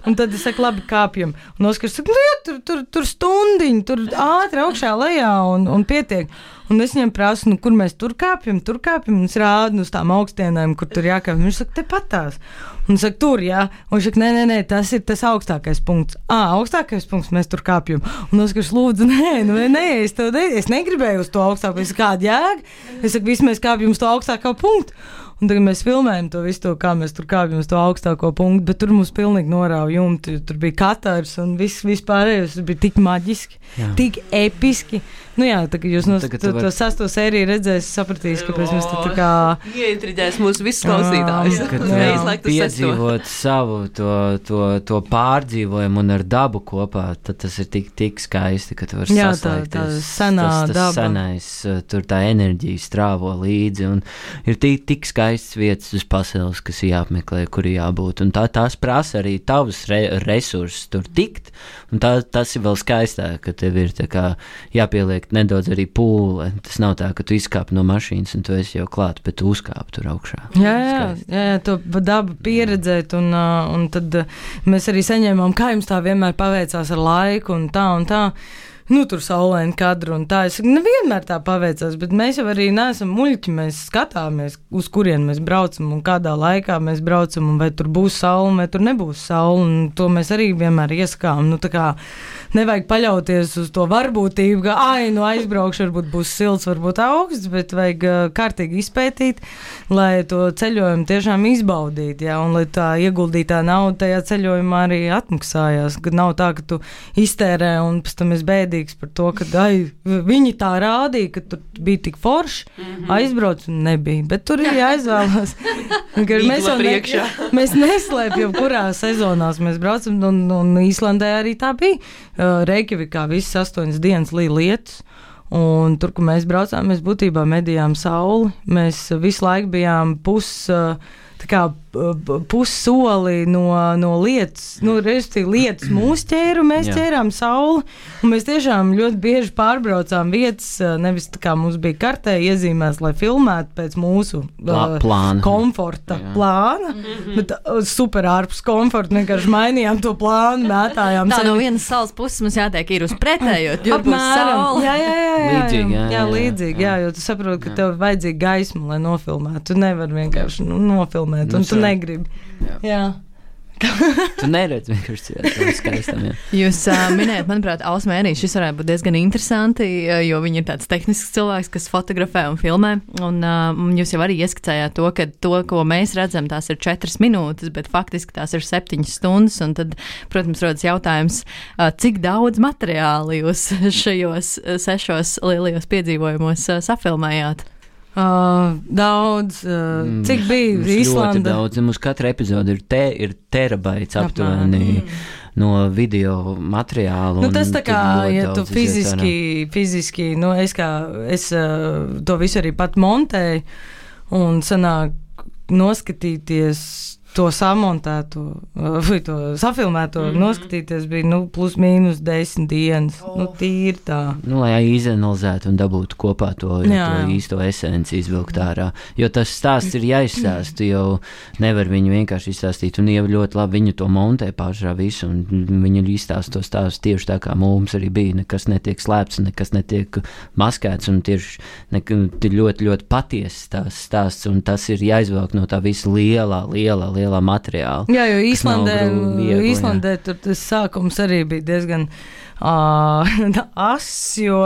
Un tad es saku, labi, kāpjam. Un Oskars saka, nu, jā, tur, tur, tur stundiņi, tur ātri augšā lejā, un, un pietiek. Un es viņam prasu, nu, kur mēs tur kāpjam, tur kāpjam, un es rādu uz tām augstienēm, kur tur jākāpj. Viņš saka, te patās. Un es saku, tur, jā. Un viņš saka, nē, nē, nē, tas ir tas augstākais punkts. Ā, augstākais punkts, mēs tur kāpjam. Un es saku, lūdzu, nē, nu, nē, es, tev, es negribēju uz to augstāko. Es saku, kāda jēga? Es saku, visi mēs kāpjam uz to augstāko punktu. Un tagad mēs filmējam to visu, to, kā mēs tur kāpjam uz to augstāko punktu, bet tur mums pilnīgi norāva jumti. Tur bija katars un viss vispārējais bija tik maģiski, jā. Tik episki. Nu jā, tā kā jūs no to, to, to sasto sēriju redzēs, sapratīs, kāpēc mēs tur tā kā... Ieintriģēs mūsu visus klausītājus. Kad piedzīvot savu to, to, to pārdzīvojumu un ar dabu kopā, tad tas ir tik, tik skaisti, ka tu vari jā, saslēgties. Tā, tā senā tas, tas daba. Senais, tur tā enerģija strāvo līdzi un ir tik, tik skaisti skaistas vietas uz pasaules, kas ir jāapmeklē, kur ir jābūt. Un tā, tās prasa arī tavus re, resursus tur tikt. Un tā, tas ir vēl skaistāk, ka tev ir tā kā jāpieliek nedaudz arī pūle. Tas nav tā, ka tu izkāp no mašīnas un tu esi jau klāt, bet tu uzkāp tur augšā. Jā, jā, jā, jā, to dabu pieredzēt. Un, un tad mēs arī saņēmām, kā jums tā vienmēr paveicās ar laiku un tā un tā. Nu, tur saulaini kadru un tā. Es saku, nevienmēr tā paveicās, bet mēs jau arī neesam muļķi. Mēs skatāmies, uz kurien mēs braucam un kādā laikā mēs braucam un vai tur būs saule vai tur nebūs saule. Un to mēs arī vienmēr ieskām. Nu, tā kā nevajag paļauties uz to varbūtību, ka, ai, nu aizbraukšu, varbūt būs silts, varbūt augsts, bet vajag uh, kārtīgi izpētīt, lai to ceļojumu tiešām izbaudīt, jā, un lai tā ieguldītā nauda tajā ceļojumā arī atmaksājās, ka nav tā, ka tu iztērē un pēc tam es bēdīgs par to, ka, ai, viņi tā rādīja, ka tur bija tik forši, mm-hmm. aizbrauc un nebija, bet tur ir jāizvēlās. mēs, ne, mēs neslēpjam, kurā sezonās mēs braucam, un, un Īslandē arī tā bija. Reikjavikā visas astoņas dienas līja lietus, un tur, kur mēs braucām, mēs būtībā medījām sauli. Mēs visu laiku bijām pus, tā kā pussoli no, no lietas, nu, respektīvi lietas mūs ķēru, mēs Jā. ķērām sauli, un mēs tiešām ļoti bieži pārbraucām vietas, nevis tā kā mums bija kartē iezīmēs, lai filmētu pēc mūsu Plā, plāna. komforta Jā. plāna, mm-hmm. bet uh, super ārpus komforta, vienkārši mainījām to plānu, mētājām. Tā no vienas salas puses mums jātiek ir uz pretējo, jo būs saule. Jā, jā, jā, jā, līdzīgi, jā, jā, jā, līdzīgi, jā, jo tu saproti, ka jā. tev vajadzīga gaisma, lai nofilmētu. Tu nevari vienkārši nu, nofilmēt, un nu, tu negribi. Jā. jā. Tu neredzi vienkārši tādu skaistam, jā. Jūs uh, minējat, manuprāt, Ausmē arī šis varētu būt diezgan interesanti, jo viņi ir tāds tehnisks cilvēks, kas fotografē un filmē, un uh, jūs jau arī ieskicējāt to, ka to, ko mēs redzam, tās ir četras minūtes, bet faktiski tās ir septiņas stundas, un tad, protams, rodas jautājums, uh, cik daudz materiāli jūs šajos sešos lielajos piedzīvojumos uh, safilmējāt? Uh, daudz, uh, mm, cik bija Īslanda? Ļoti daudz, mums katra epizode ir, te, ir terabaits aptuveni mm. no video materiālu. Nu, tas tā kā, ja tu fiziski, fiziski, nu, es kā, es uh, to visu arī pat montēju, un sanāk noskatīties to samontēto, vai to safilmēto, mm-hmm. noskatīties bija, nu, plus mīnus desmit dienas. Oh. Nu, tīri tā. Nu, lai izanalizētu un dabūtu kopā to, to īsto esenci izvilkt ārā. Jo tas stāsts ir jāizstāst, jo nevar viņu vienkārši izstāstīt, un Ieva ļoti labi viņu to montē pāršā visu, un viņu izstāst to stāstu tieši tā, kā mums arī bija. Nekas netiek slēpts, nekas netiek maskēts, un tieši nek, ļoti, ļoti patiesas tās stāsts, un tas ir jāizvelk no tā visa lielā, lielā, lielā materiāla. Jā, jo Īslandē, viegli, Īslandē tur tas sākums arī bija diezgan uh, ass, jo,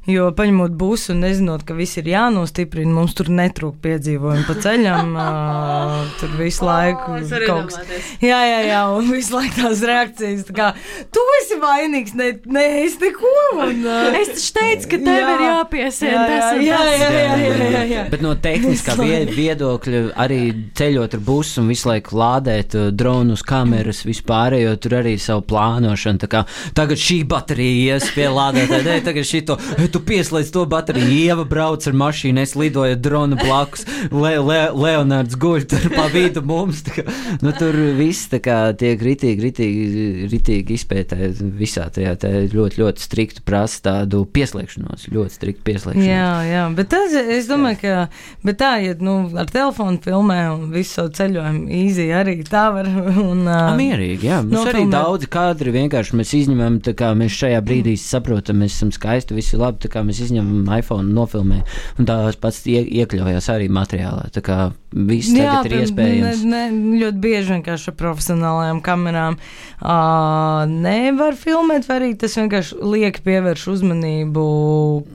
jo paņemot busu un nezinot, ka viss ir jānostiprina, mums tur netrūk piedzīvojumi pa ceļam, uh, tur visu laiku oh, kaut kas. Jā, jā, jā, un visu laiku tās reakcijas, tā kā, tu esi vainīgs, ne, ne es neko, un... Uh, es taču teicu, ka tev jā, ir jāpiesien, jā, tas jā, jā, jā, jā, jā, jā, jā. Bet no tehniskā viedokļa arī ceļot ar busu un visu laiku lādēt uh, dronus, kameras, vispārējo, tur arī savu plānošanu, tā kā tagad šī baterija ies pie lādētāja, ne, tagad šito, tu pieslēdz to bateriju, Ieva brauc ar mašīnu, es lidoju dronu blakus, Le, Le, Leonards guļ tur pa vidu mums, tā kā, nu tur viss tā kā tiek ritīgi, ritīgi, ritīgi izpētē visā tajā, tā ļoti, ļoti striktu prasa tādu pieslēgšanos, ļoti striktu pieslēgšanos. Jā, jā, bet tas, es domāju, ka, bet tā, ja, nu, ar telefonu filmē un visu savu ceļojumu easy arī tā var, un... A, mierīgi, jā, mums arī daudzi kadri vienkārši mēs izņemam, tā kā mēs šajā brīdī saprotam, mēs esam skaisti, visi labi, tā kā mēs izņemam iPhone, nofilmē, un tās pats ie, iekļaujās arī materiālā, tā kā viss jā, tagad ir iespējams. Ne, ne, ļoti bieži vienkārši ar profesionālajām kamerām uh, nevar filmēt, vai arī tas vienkārši liek pievērš uzmanību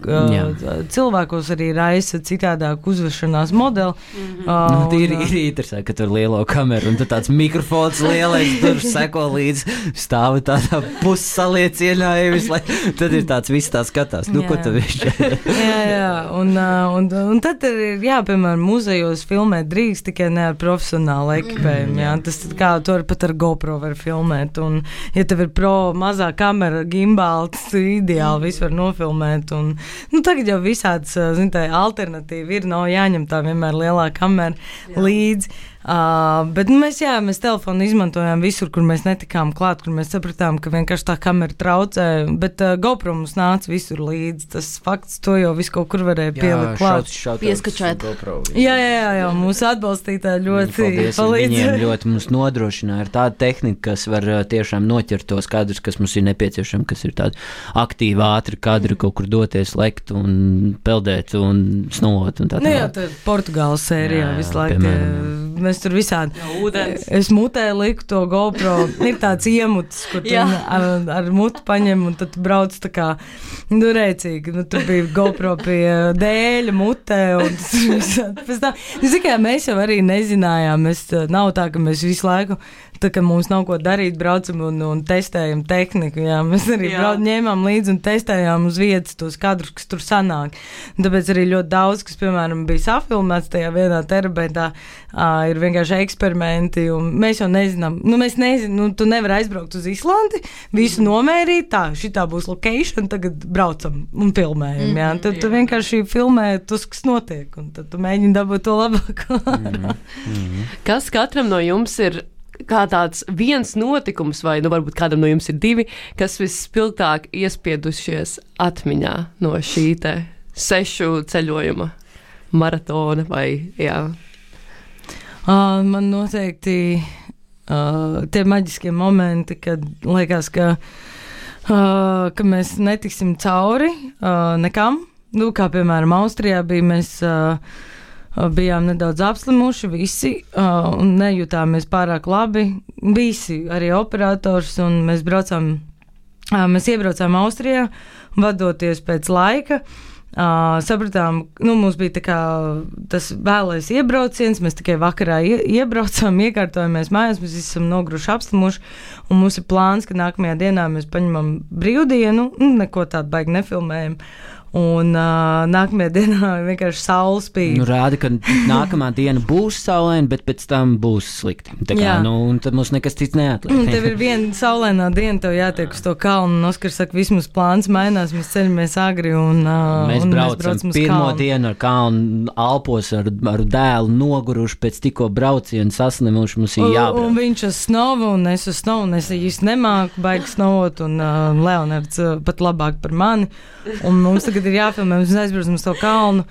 uh, cilvēkos arī raisa citādāk uzvešanās modeli. Mm-hmm. Uh, nu, ir, ir interesanti, ka tur lielo kameru, un tad tāds mikrofons lielais tur seko līdz stāvi tādā pussaliecienā, lai tad ir tāds viss tā skatās. Nu, jā. Ko tu viņš? jā, jā, un, un, un tad ir, jā, piemēram, muzejos filmēt drīkst, tikai ne ar profesionālu ekipējumu. Jā. Tas kā tu vari pat ar GoPro var filmēt. Un, ja tev ir pro mazā kamera, gimbāli, tas ideāli visu var nofilmēt. Un, nu, tagad jau visāds, zin, tā alternatīva ir, nav jāņem tā vienmēr lielā kamera jā. Līdzi. Uh, bet nu, mēs, jā, mēs telefonu izmantojām visur, kur mēs netikām klāt, kur mēs sapratām, ka vienkārši tā kamera traucē, bet uh, GoPro mums nāca visur līdzi. Tas fakts, to jau visu kaut kur varēja pielikt klāt. Pieskačēt. Jā, jā, jā, jā, mūsu atbalstītāji ļoti palīdz. Viņiem ļoti mums nodrošināja ar tādu tehniku, kas var uh, tiešām noķert tos kadrus, kas mums ir nepieciešami, kas ir tādi aktīvi, ātri kadri, kaut kur doties, lekt un peldēt un snot un tā tā. Nu jā, tā Portugāles sērijā visu laiku. Mēs tur visādi. Jā, es mutē liku to GoPro. Ir tāds iemuts, kur tu ar, ar mutu paņem un tad brauc tā kā, nu, rēcīgi. Nu, tur bija GoPro pie dēļa mutē un tas pēc tā. Nu, zikā, mēs jau arī nezinājām. Mēs, nav tā, ka mēs visu laiku, tā kā mums nav ko darīt, braucam un, un testējam tehniku. Jā. Mēs arī brauc, ņēmām līdzi un testējām uz vietas tos kadrus, kas tur sanāk. Un tāpēc arī ļoti daudz, kas, piemēram, bija safilmēts tajā vienā terabaitā, uh, ir vienkārši eksperimenti, un mēs jau nezinām, nu, mēs nezinām, nu, tu nevari aizbraukt uz Islandi, visu nomērīt, tā, šitā būs location, tagad braucam un filmējam, jā. Tad tu vienkārši filmē tos, kas notiek, un tad tu mēģini dabūt to labāko. Kas katram no jums ir kā tāds viens notikums, vai nu varbūt kādam no jums ir divi, kas visspilgtāk iespiedušies atmiņā no šī te sešu ceļojuma maratona vai, jā? Uh, man noteikti uh, tie maģiskie momenti, kad liekas, ka, uh, ka mēs netiksim cauri uh, nekam. Nu, kā piemēram Austrijā bija, mēs uh, bijām nedaudz apslimuši visi uh, un nejutāmies pārāk labi. Visi, arī operators, un mēs braucām, uh, mēs iebraucām Austrijā, vadoties pēc laika. Uh, sapratām, nu, mums bija tā kā tas vēlais iebrauciens, mēs tikai vakarā ie, iebraucām, iekārtojamies mājās, mēs esam nogruši apslimuši, un mums ir plāns, ka nākamajā dienā mēs paņemam brīvdienu, nu, neko tādu baigi nefilmējam. Un uh, nākamajā dienā vienkārši saule spīd. Nu, rāda, ka nākamā diena būs saulaina, bet pēc tam būs slikti. Tā kā, nu, un tad mums nekas cits neatliek. Tev ir viena saulainā diena, tev jātiek uz to kalnu, un Oskars saka, vismaz plāns mainās, mēs ceļamies agri, un, uh, mēs, un braucam, mēs braucam uz pirmo kalnu. dienu ar kalnu, alpos ar, ar dēlu noguruši, pēc tikko braucienu saslimuši, mums ir jābrauc. Un, un viņš uz snovu, un es uz snovu, un es īsti nemāku baigi snovot, un uh, Leonards uh, pat labāk par mani, un mums tagad ir jāfilmē, mēs aizbraucam uz to kalnu,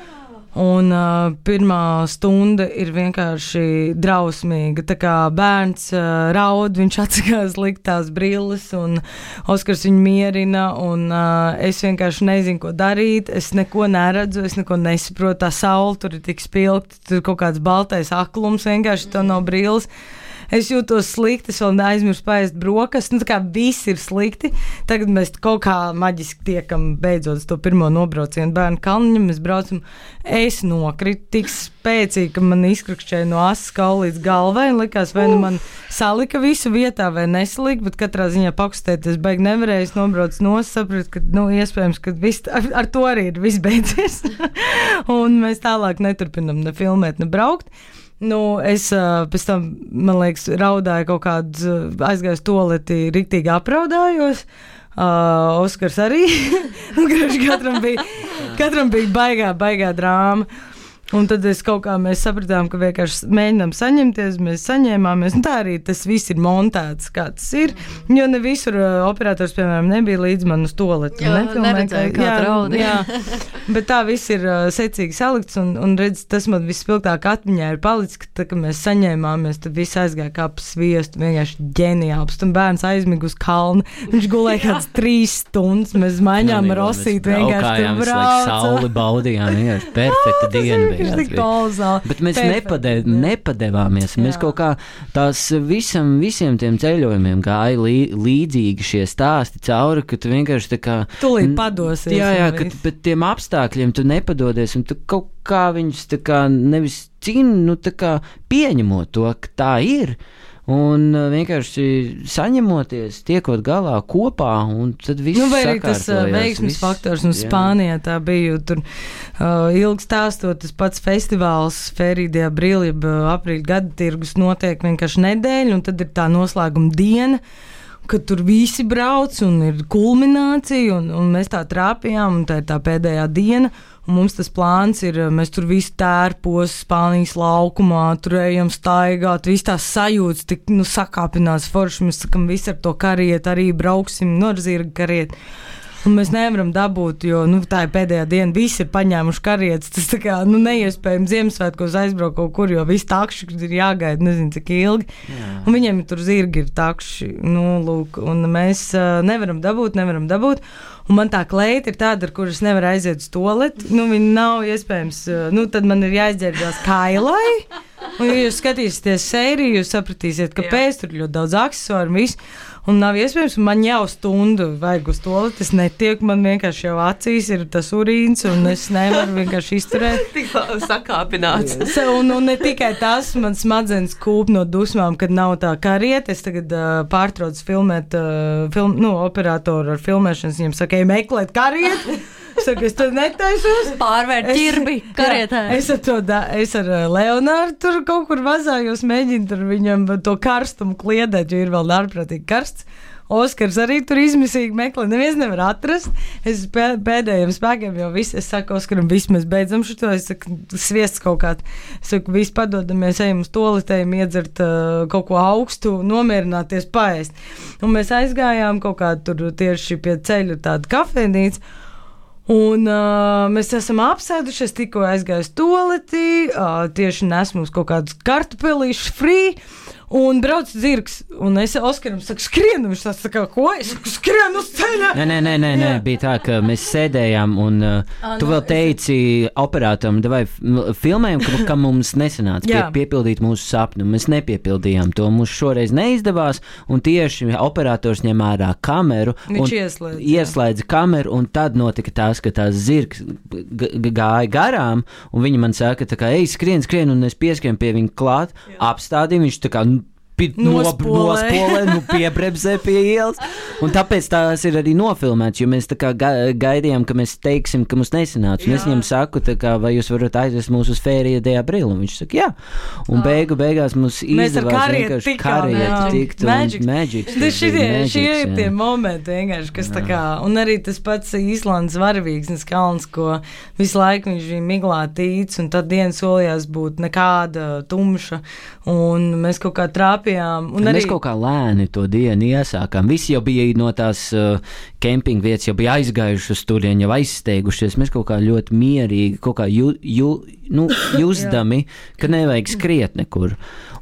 un uh, pirmā stunda ir vienkārši drausmīga. Tā kā bērns uh, raud, viņš atsakās likt tās brilles, un Oskars viņu mierina, un uh, es vienkārši nezinu, ko darīt, es neko neredzu, es neko nesaprotu, tā saule tur ir tik spilgta, tur kaut kāds baltais aklums, vienkārši tev nav brilles. Es jūtos slikti, es vēl neaizmirsu paēst brokastis, nu tā kā viss ir slikti. Tagad mēs kaut kā maģiski tiekam beidzot to pirmo nobraucienu bērnu kalniņam, mēs braucam, es nokritu tik spēcīgi, ka man izkrakšķēja no asas kaula līdz galvai, un likās, vai nu man salika visu vietā vai nesalika, bet katrā ziņā pakustēties baigi nevarēju, es nobraucu nos, sapratu, ka, nu, iespējams, ka viss, ar, ar to arī ir viss beidzies. Un mēs tālāk neturpinam ne filmēt, ne braukt. Nu, es uh, pēc tam, man liekas, raudāju kaut kādu, uh, aizgāju toleti, riktīgi apraudājos. Uh, Oskars arī. katram, bija, katram bija baigā, baigā drāma. Un tad es kaut kā mēs sapratām, ka vienkārši mēģinām saņemties, mēs saņēmāmies. Un tā arī tas viss ir montēts, kā tas ir. Jo ne visur uh, operators, piemēram, nebija līdz man uz toaletu. Jā, neredzēju, kā traudi. Jā, bet tā viss ir uh, secīgi salikts, un, un redz, tas man vispilgtāk atmiņā ir palicis, ka tā, ka mēs saņēmāmies, tad viss aizgāja kā pa sviestu, vienkārši ģeniāls. Tad bērns aizmiga uz kalnu, viņš gulēja kāds trīs stundas, mēs maiņām rosīt, vienkārši tur brauca. Sauli baudījām, vienkārši perfekta diena. Bet mēs nepadev, nepadevāmies. Jā. Mēs kaut kā tās visam, visiem tiem ceļojumiem gāja lī, līdzīgi šie stāsti cauri, ka tu vienkārši tā kā... Tūlīt padosies. Jā, jā, ka pēc tiem apstākļiem tu nepadodies, un tu kaut kā viņus tā kā nevis cīni, nu tā kā pieņemot to, ka tā ir. un vienkārši saņemoties, tiekot galā kopā, un tad viss nu, vai arī tas uh, sakārtojās, veiksmes viss, faktors, un jā. Spānijā tā bija, tur uh, ilgi stāstot, tas pats festivāls Ferīdijā Brīli, jeb uh, aprīļa gada tirgus notiek vienkārši nedēļa, un tad ir tā noslēguma diena, kad tur visi brauc un ir kulminācija, un, un mēs tā trāpījām, un tā ir tā pēdējā diena, un mums tas plāns ir, mēs tur visi tērpos Spānijas laukumā, tur ejam staigāt, viss tās sajūtas, tik, nu, sakāpinās forši, mēs sakam, visi ar to kariet, arī brauksim, nu, ar zirga kariet. Un mēs nevaram dabūt, jo nu, tā ir pēdējā diena, visi ir paņēmuši karietes. Tas tā kā nu, neiespējami Ziemassvētkos aizbraukt kaut kur, jo visi takši ir jāgaida, nezinu, cik ilgi. Jā. Un viņiem tur zirgi ir takši, nu, lūk, un mēs uh, nevaram dabūt, nevaram dabūt. Un man tā kleita ir tāda, ar kuras nevar aiziet uz toaleti. Nu, viņa nav iespējams, uh, nu, tad man ir jāizģērbjās kailai. Un, ja jūs skatīsieties sēriju, jūs sapratīsiet, kāpēc tur ļoti daudz aksesuāru un viss. Un nav iespējams, un man jau stundu vajag uz toaleti, es netieku, man vienkārši jau acīs ir tas urīns, un es nevaru vienkārši izturēt. Tik sakāpināts. un, un ne tikai tas, man smadzenes kūp no dusmām, kad nav tā karieta. Es tagad uh, pārtraucu filmēt, uh, film, nu, operatoru ar filmēšanas, viņam saka, ej meklēt karietu. Es saku, es tur netaisos. Pārvērt ķirbi karietē. Jā, es ar to, da, es ar Leonārdu tur kaut kur vazājos, mēģinu tur viņam to karstumu kliedēt, jo ir vēl ārprātīgi karsts. Oskars arī tur izmisīgi meklē, neviens nevar atrast. Es pēdējiem spēkiem jau viss, es saku Oskaram, viss mēs beidzam šito, es saku, sviests kaut kāds. Es saku, viss padodamies, ejam uz toaletēm, iedzert uh, kaut ko augstu, nomierināties, paēst. Un mēs aizgājām kaut kā tur tieši pie ceļa tāda kafejnīca. Un uh, mēs esam apsēdušies, tikko aizgājis toaletī, uh, tieši nesmu uz kaut kādus kartupelīšus free, un brauc zirgs, un es Oskaram saku, skrien, viņš tāds tā kā, ko? Es saku, skrien uz ceļa! Nē, nē, nē, nē, nē, bija tā, ka mēs sēdējām, un uh, A, tu no, vēl teici es... operatoram, vai filmējam, ka, ka mums nesanāca pie, piepildīt mūsu sapni, un mēs nepiepildījām to, mums šoreiz neizdevās, un tieši operators ņem ārā kameru, viņš un ieslēdza, ieslēdza kameru, un tad notika tās, ka tās zirgs gāja garām, un viņi man saka, tā kā, ej, skrien, skrien, un es pieskrien pie viņa klāt, apstādīju, viņš tā kā, nospolē, nu piebremzē pie ielas, un tāpēc tās ir arī nofilmēts, jo mēs tā kā gaidījām, ka mēs teiksim, ka mums nesanāca, un es viņam saku, tā kā, vai jūs varat aizvest mūs uz Ferīdijā Brīli, un viņš saka, jā, un beigu beigās mums izdevās vienkārši kariet tikt, un Magics. Šie ir tie momenti vienkārši, kas tā kā, un arī tas pats Īslandes varavīgsnes kalns, ko visu laiku viņš bija miglā tīts, un tad diena solījās būt nekāda tumša, un mēs kaut kā trāpījām. Un arī... Mēs arī... kaut kā lēni to dienu iesākām. Visi jau bija no tās uh, kempinga vietas, jau bija aizgājuši uz turien, jau aizsteigušies. Mēs kaut kā ļoti mierīgi, kaut kā ju, ju, nu, jusdami, ka nevajag skriet nekur.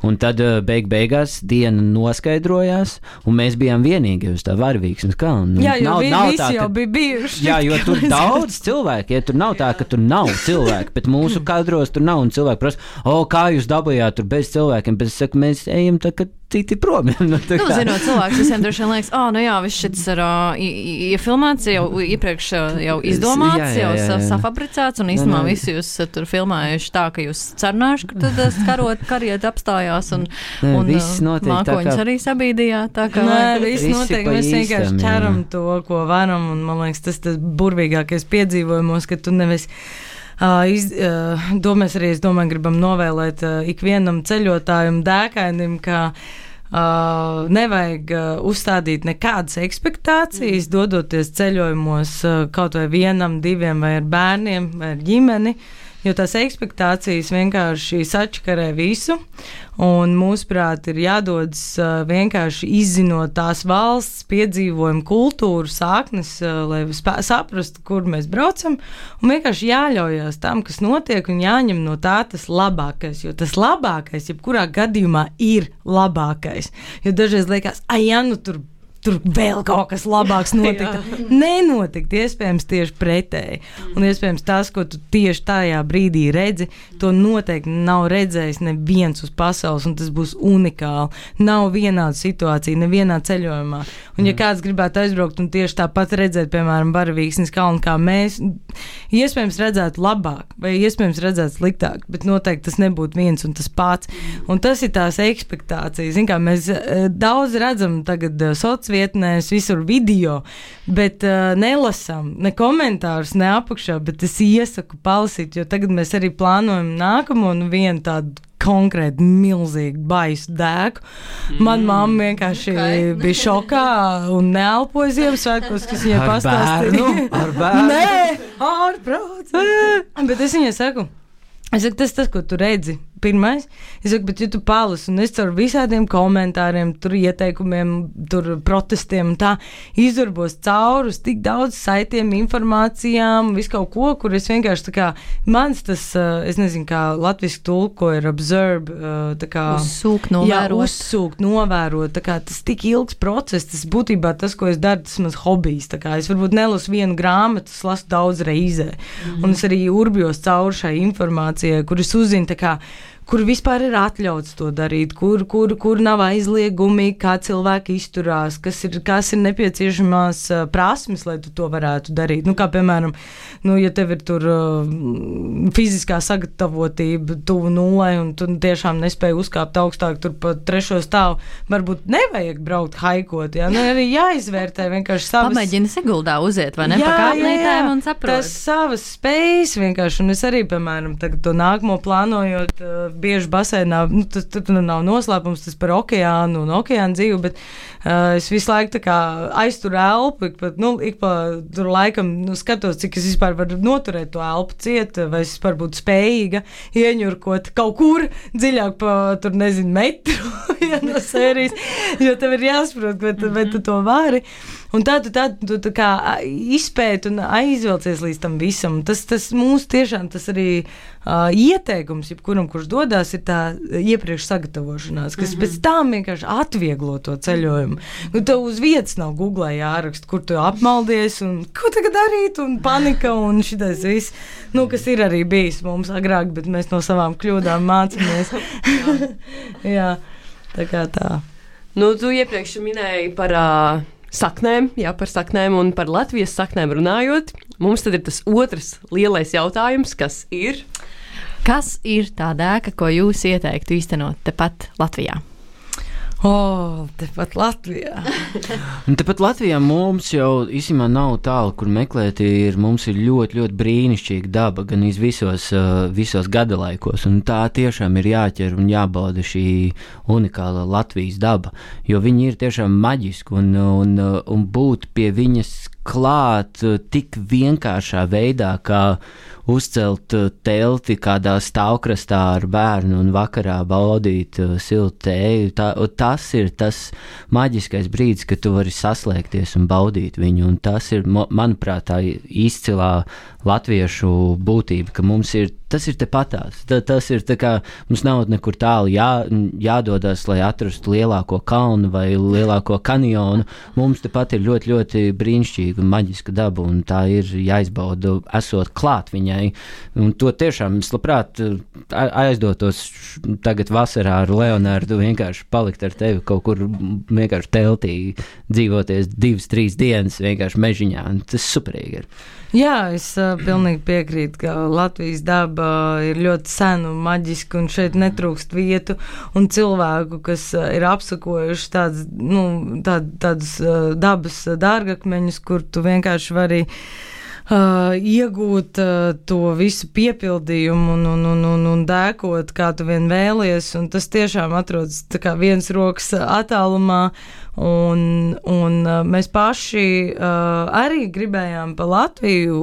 Un tad uh, beig beigās diena noskaidrojās, un mēs bijām vienīgi uz tā varavīgsnes kalna. Jā, jo nav, vi, nav visi tā, jau ka... bija bijuši. Jā, jo tur daudz cilvēku, ja tur nav tā, ka tur nav cilvēki, bet mūsu kadros tur nav, un cilvēki prasa, o, kā jūs dabujāt tur bez cilvēkiem, bet es saku, mēs ejam tā, ka citi prom. Nu, nu zinot, cilvēks visiem droši vien liekas, ā, oh, nu jā, viss šis ir iefilmēts, jau iepriekš jau izdomāts, jā, jā, jā, jā. jau safabricēts, un īstenībā visi jūs tur filmējuši tā, ka jūs cerināšu, ka tad karot, kariet apstājās, un, Nē, un mākoņus kā... arī sabīdījā. Tā kā Nē, viss notiek, mēs vienkārši ķeram to, ko varam, un man liekas, tas tas burvīgākais piedzīvojumos, ka tu nevis Uh, iz, uh, to mēs arī, es domāju, gribam novēlēt uh, ikvienam ceļotājam, dēkainim, ka uh, nevajag uh, uzstādīt nekādas ekspektācijas, dodoties ceļojumos uh, kaut vai vienam, diviem vai ar bērniem vai ar ģimeni, jo tās ekspektācijas vienkārši sačakarē visu, un mūsuprāt ir jādodas uh, vienkārši izzinot tās valsts piedzīvojumu kultūru sāknes, uh, lai spā, saprastu, kur mēs braucam, un vienkārši jāļaujās tam, kas notiek, un jāņem no tā tas labākais, jo tas labākais, jebkurā gadījumā ir labākais, jo dažreiz liekas, ai, ja nu tur tur vēl kaut kas labāks notika. Nenotikt, iespējams tieši pretēji. Un iespējams tas, ko tu tieši tajā brīdī redzi, to noteikti nav redzējis neviens uz pasaules, un tas būs unikāli. Nav vienāda situācija, nevienā ceļojumā. Un ja kāds gribētu aizbraukt un tieši tāpat redzēt, piemēram, varavīgsnes kalnu kā mēs, iespējams redzētu labāk, vai iespējams redzētu sliktāk, bet noteikti tas nebūtu viens un tas pats. Un tas ir tās ekspektācijas. Zin kā, mēs daudz redzam tagad socvietnēs, visur video, bet uh, nelasam ne komentārus, ne apakšā, bet es iesaku palasīt, jo tagad mēs arī plānojam nākamo un vienu tādu konkrēti milzīgi baisu dēku. Man mamma vienkārši okay. bija šokā un neelpoja Ziemassvētkos, kas viņai pastāstīja. Ar bērnu? Nē, ārprāts. Bet es viņai saku, es saku, tas tas, ko tu redzi. Pirmais, es saku, bet ja tu palasi, un es caur visādiem komentāriem, tur ieteikumiem, tur protestiem un tā, izdarbos cauri uz tik daudz saitiem, informācijām, visu kaut ko, kur es vienkārši tā kā, mans tas, es nezinu, kā latviski tulko ir observe, tā kā... Uzsūkt, novērot. Jā, uzsūkt, novērot, tā kā tas tik ilgs process, tas būtībā tas, ko es daru, tas mans hobijs, tā kā es varbūt nelasu vienu grāmatu, es lasu daudz reizē, mm-hmm. un es arī urbjos cauri šai informācijai, kur es uzzinu, tā kā, kur vispār ir atļauts to darīt, kur, kur, kur nav aizliegumi, kā cilvēki izturās, kas ir, kas ir nepieciešamās uh, prasmes, lai tu to varētu darīt. Nu, kā piemēram, nu, ja tev ir tur uh, fiziskā sagatavotība tuvu nulai un tu tiešām nespēji uzkāpt augstāk tur pa trešo stāvu, varbūt nevajag braukt haikot, jā, nu, arī jāizvērtē vienkārši savas... Pamēģini Siguldā uziet, vai ne, jā, pa kāpnītēm un saprot. Tas savas spējas vienkārši, un es arī, piemēram, tagad to nākamo plānojot, uh, bieži basēnā, nu, tas tur nav noslēpums, tas par okeānu un okeānu dzīvi, bet uh, es visu laiku tā kā aizturu elpu, ik pa, nu, ik pa tur laikam, nu, skatos, cik es vispār varu noturēt to elpu ciet, vai es vispār būtu spējīga ieņurkot kaut kur dziļāk pa, tur, nezinu, metru, ja, no sērijas, jo tev ir jāsaprot, vai tu, vai tu to vari. Un tā tu, tā, tu tā kā izpēti un aizvelcies līdz tam visam. Tas, tas mūsu tiešām tas arī uh, ieteikums, jebkuram, kurš dodās, ir tā iepriekš sagatavošanās, kas mm-hmm. pēc tam vienkārši atvieglo to ceļojumu. Nu, tev uz vietas nav Googlē jāraksta, kur tu apmaldies un ko tagad darīt, un panika un šitais viss, nu, kas ir arī bijis mums agrāk, bet mēs no savām kļūdām mācāmies. Jā, tā kā tā. Nu, tu iepriekš minēji par... Uh... saknēm, jā, par saknēm un par Latvijas saknēm runājot. Mums tad ir tas otrs lielais jautājums, kas ir? Kas ir tā dēka, ko jūs ieteiktu īstenot tepat Latvijā? O, oh, tepat Latvijā. Tepat Latvijā mums jau īstenībā nav tālu, kur meklēt. Ir, mums ir ļoti, ļoti brīnišķīga daba, gan visos, visos gadalaikos. Un tā tiešām ir jāķer un jābauda šī unikāla Latvijas daba, jo viņi ir tiešām maģiski un, un, un būt pie viņas klāt tik vienkāršā veidā, kā uzcelt telti kādā stāvkrastā ar bērnu un vakarā baudīt siltu tēju. Tā, tas ir tas maģiskais brīdis, kad tu vari saslēgties un baudīt viņu. Un tas ir, manuprāt, tā izcilā latviešu būtība, ka mums ir, tas ir tepatās. Ta, tas ir tā kā, mums nav nekur tālu jā, jādodas, lai atrastu lielāko kalnu vai lielāko kanjonu. Mums tepat ir ļoti, ļoti brīnišķīga un maģiska daba, un tā ir jāizbauda, esot klāt viņai. Un to tiešām es labprāt aizdotos tagad vasarā ar Leonārdu, vienkārši palikt ar tevi kaut kur vienkārši teltī, dzīvoties divas, trīs dienas vienkārši mežiņā. Tas superīgi ir. Jā, es uh, pilnīgi piekrītu, ka Latvijas daba ir ļoti sena un maģiska, un šeit netrūkst vietu un cilvēku, kas uh, ir apsakojuši tāds, nu, tād, tādus uh, dabas dārgakmeņus, kur tu vienkārši vari Uh, iegūt uh, to visu piepildījumu un, un, un, un, un dēkot, kā tu vien vēlies, un tas tiešām atrodas tā kā viens rokas attālumā, un, un uh, mēs paši uh, arī gribējām pa Latviju,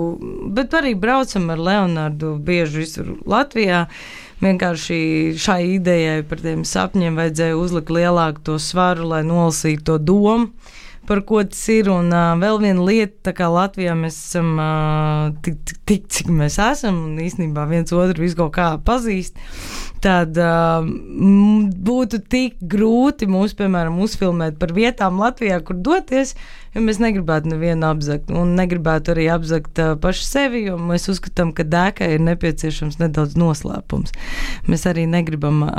bet arī braucam ar Leonārdu bieži visur Latvijā. Vienkārši šai idejai par tiem sapņiem vajadzēja uzlikt lielāku to svaru, lai nolasītu to domu, par ko tas ir, un uh, vēl viena lieta, tā kā Latvijā mēs esam uh, tik, tik, tik, cik mēs esam, un īstenībā viens otru visu kaut kā pazīst, tad uh, būtu tik grūti mūs, piemēram, uzfilmēt par vietām Latvijā, kur doties, jo mēs negribētu nevienu apzakt un negribētu arī apzakt uh, paši sevi, jo mēs uzskatām, ka dēkai ir nepieciešams nedaudz noslēpums. Mēs arī negribam uh,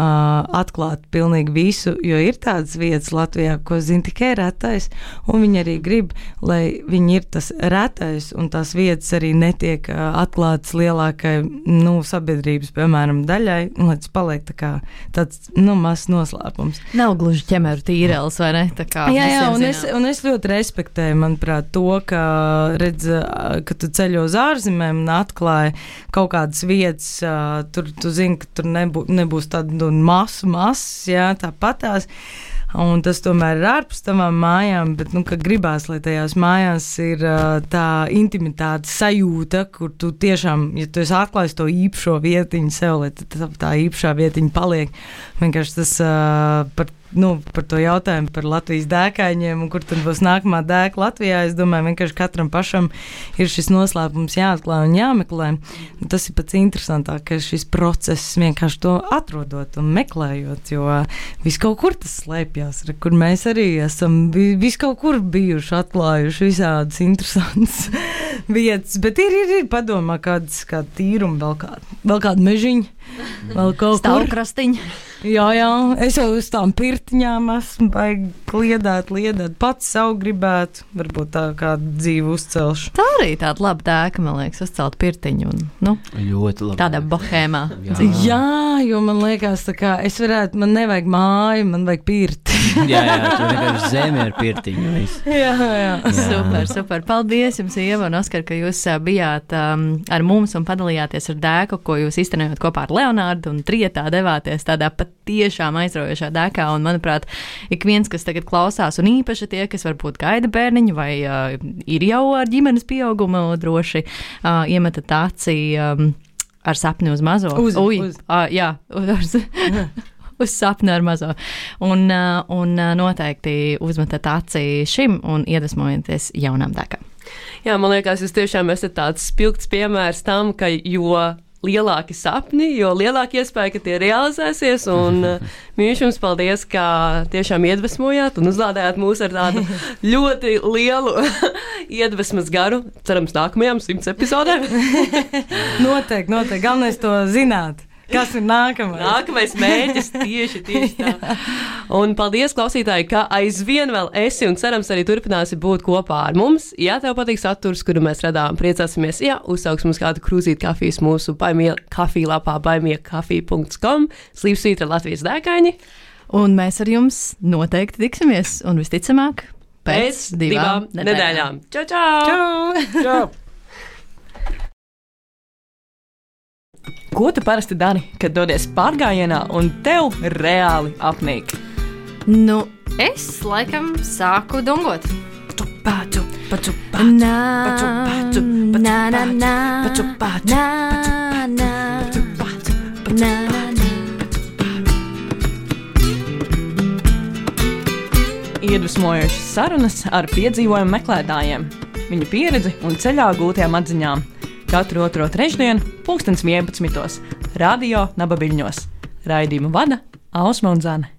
atklāt pilnīgi visu, jo ir tādas vietas Latvijā, ko zina tikai retais, un viņi arī grib, lai viņi ir tas retais, un tās vietas arī netiek uh, atklātas lielākai, nu, sabiedrības, piemēram, daļai, un lai tas paliek tā kā tāds, nu, mazs noslēpums. Nav gluži ķemeru tīrels, vai ne? Tā kā jā, jā, un zinām. es, un es ļoti respektēju, manuprāt, to, ka, redz, ka tu ceļo uz ārzemēm un atklāji kaut kādas vietas, tur tu zini, ka tur nebū, nebūs tāda masu masas, jā, tāpatās. Un tas tomēr ir ārpus tavām mājām, bet, nu, ka gribās, lai tajās mājās ir uh, tā intimitāte sajūta, kur tu tiešām, ja tu esi atklājis to īpašo vietiņu sev, lai tā, tā īpašā vietiņa paliek. Vienkārši tas uh, par, nu, par to jautājumu par Latvijas dēkaiņiem un kur tad būs nākamā dēka Latvijā, es domāju, vienkārši katram pašam ir šis noslēpums jāatklāj un jāmeklē. Tas ir pats interesantākais šis process, vienkārši to atrodot un meklējot, jo viss kaut kur tas slēpjās, kur mēs arī esam viss kaut kur bijuši atklājuši visādas interesantas vietas, bet ir, ir, ir padomā kādas, kāda tīruma, vēl kāda, vēl kāda mežiņa, vēl kaut kur. Stāvkrastiņa. Jā, jā, es jau uz tām pirtiņām esmu baigi kliedēt, liedēt, pats savu gribētu, varbūt tā kādu dzīvu uzcelšu. Tā arī tāda laba dēka, man liekas, uzcelt pirtiņu un, nu, ļoti labi. Tādā bohēmā. Jā. jā, jo man liekas, tā kā es varētu, man nevajag māju, man vajag pirti. jā, jā, tur vienkārši zemi ar pirtiņu. jā, jā. jā. Super, super. Paldies jums, Ieva un Oskar, ka jūs bijāt um, ar mums un padalījāties ar dēku, ko jūs iztenējot kopā ar Leonārdu un trietā devāties tādā pat tiešām aizraujošā dēkā, un, manuprāt, ik viens, kas tagad klausās, un īpaši tie, kas varbūt gaida bērniņu vai uh, ir jau ar ģimenes pieaugumu, droši uh, iemetat acī um, ar sapni uz mazo. Uz, Ui, uz. Uh, jā, uz, uz sapni ar mazo. Un, uh, un uh, noteikti uzmetat acī šim un iedvesmojaties jaunām dēkām. Jā, man liekas, jūs tiešām esat tāds spilgts piemērs tam, ka jo lielāki sapni, jo lielāka iespēja, ka tie realizēsies, un uh, mīļš jums paldies, ka tiešām iedvesmojāt un uzlādējāt mūs ar tādu ļoti lielu iedvesmas garu, cerams, nākamajām simts epizodēm. noteikti, noteikti, galvenais to zināt. Kas ir nākamais? Nākamais mērķis tieši, tieši tā. Un paldies, klausītāji, ka aizvien vēl esi un cerams arī turpināsi būt kopā ar mums. Ja tev patīk saturs, kuru mēs radām, priecāsimies, ja uzsauks mums kādu krūzīt kafijas mūsu baimie kafija lapā baimiekafija punkts com, slīpsvītra Latvijas dēkaini. Un mēs ar jums noteikti tiksimies, un visticamāk, pēc, pēc divām, divām nedēļām. Čau, čau! Čau! Čau! Ko tu parasti dari, kad dodies pārgājienā un tev reāli apnīk? Nu, es laikam sāku dungot. Patu, patu, patu, Nā, patu, patu, patu, nā, nā, nā, patu, patu, nā, nā, patu, patu, patu, nā, nā. Iedvesmojošas sarunas ar piedzīvojumu meklētājiem, viņu pieredzi un ceļā gūtajām atziņām. Katru otro trešdienu, pulkstens vienpadsmitos, Radio Nabaviļņos. Raidījumu vada Ausma un Zane.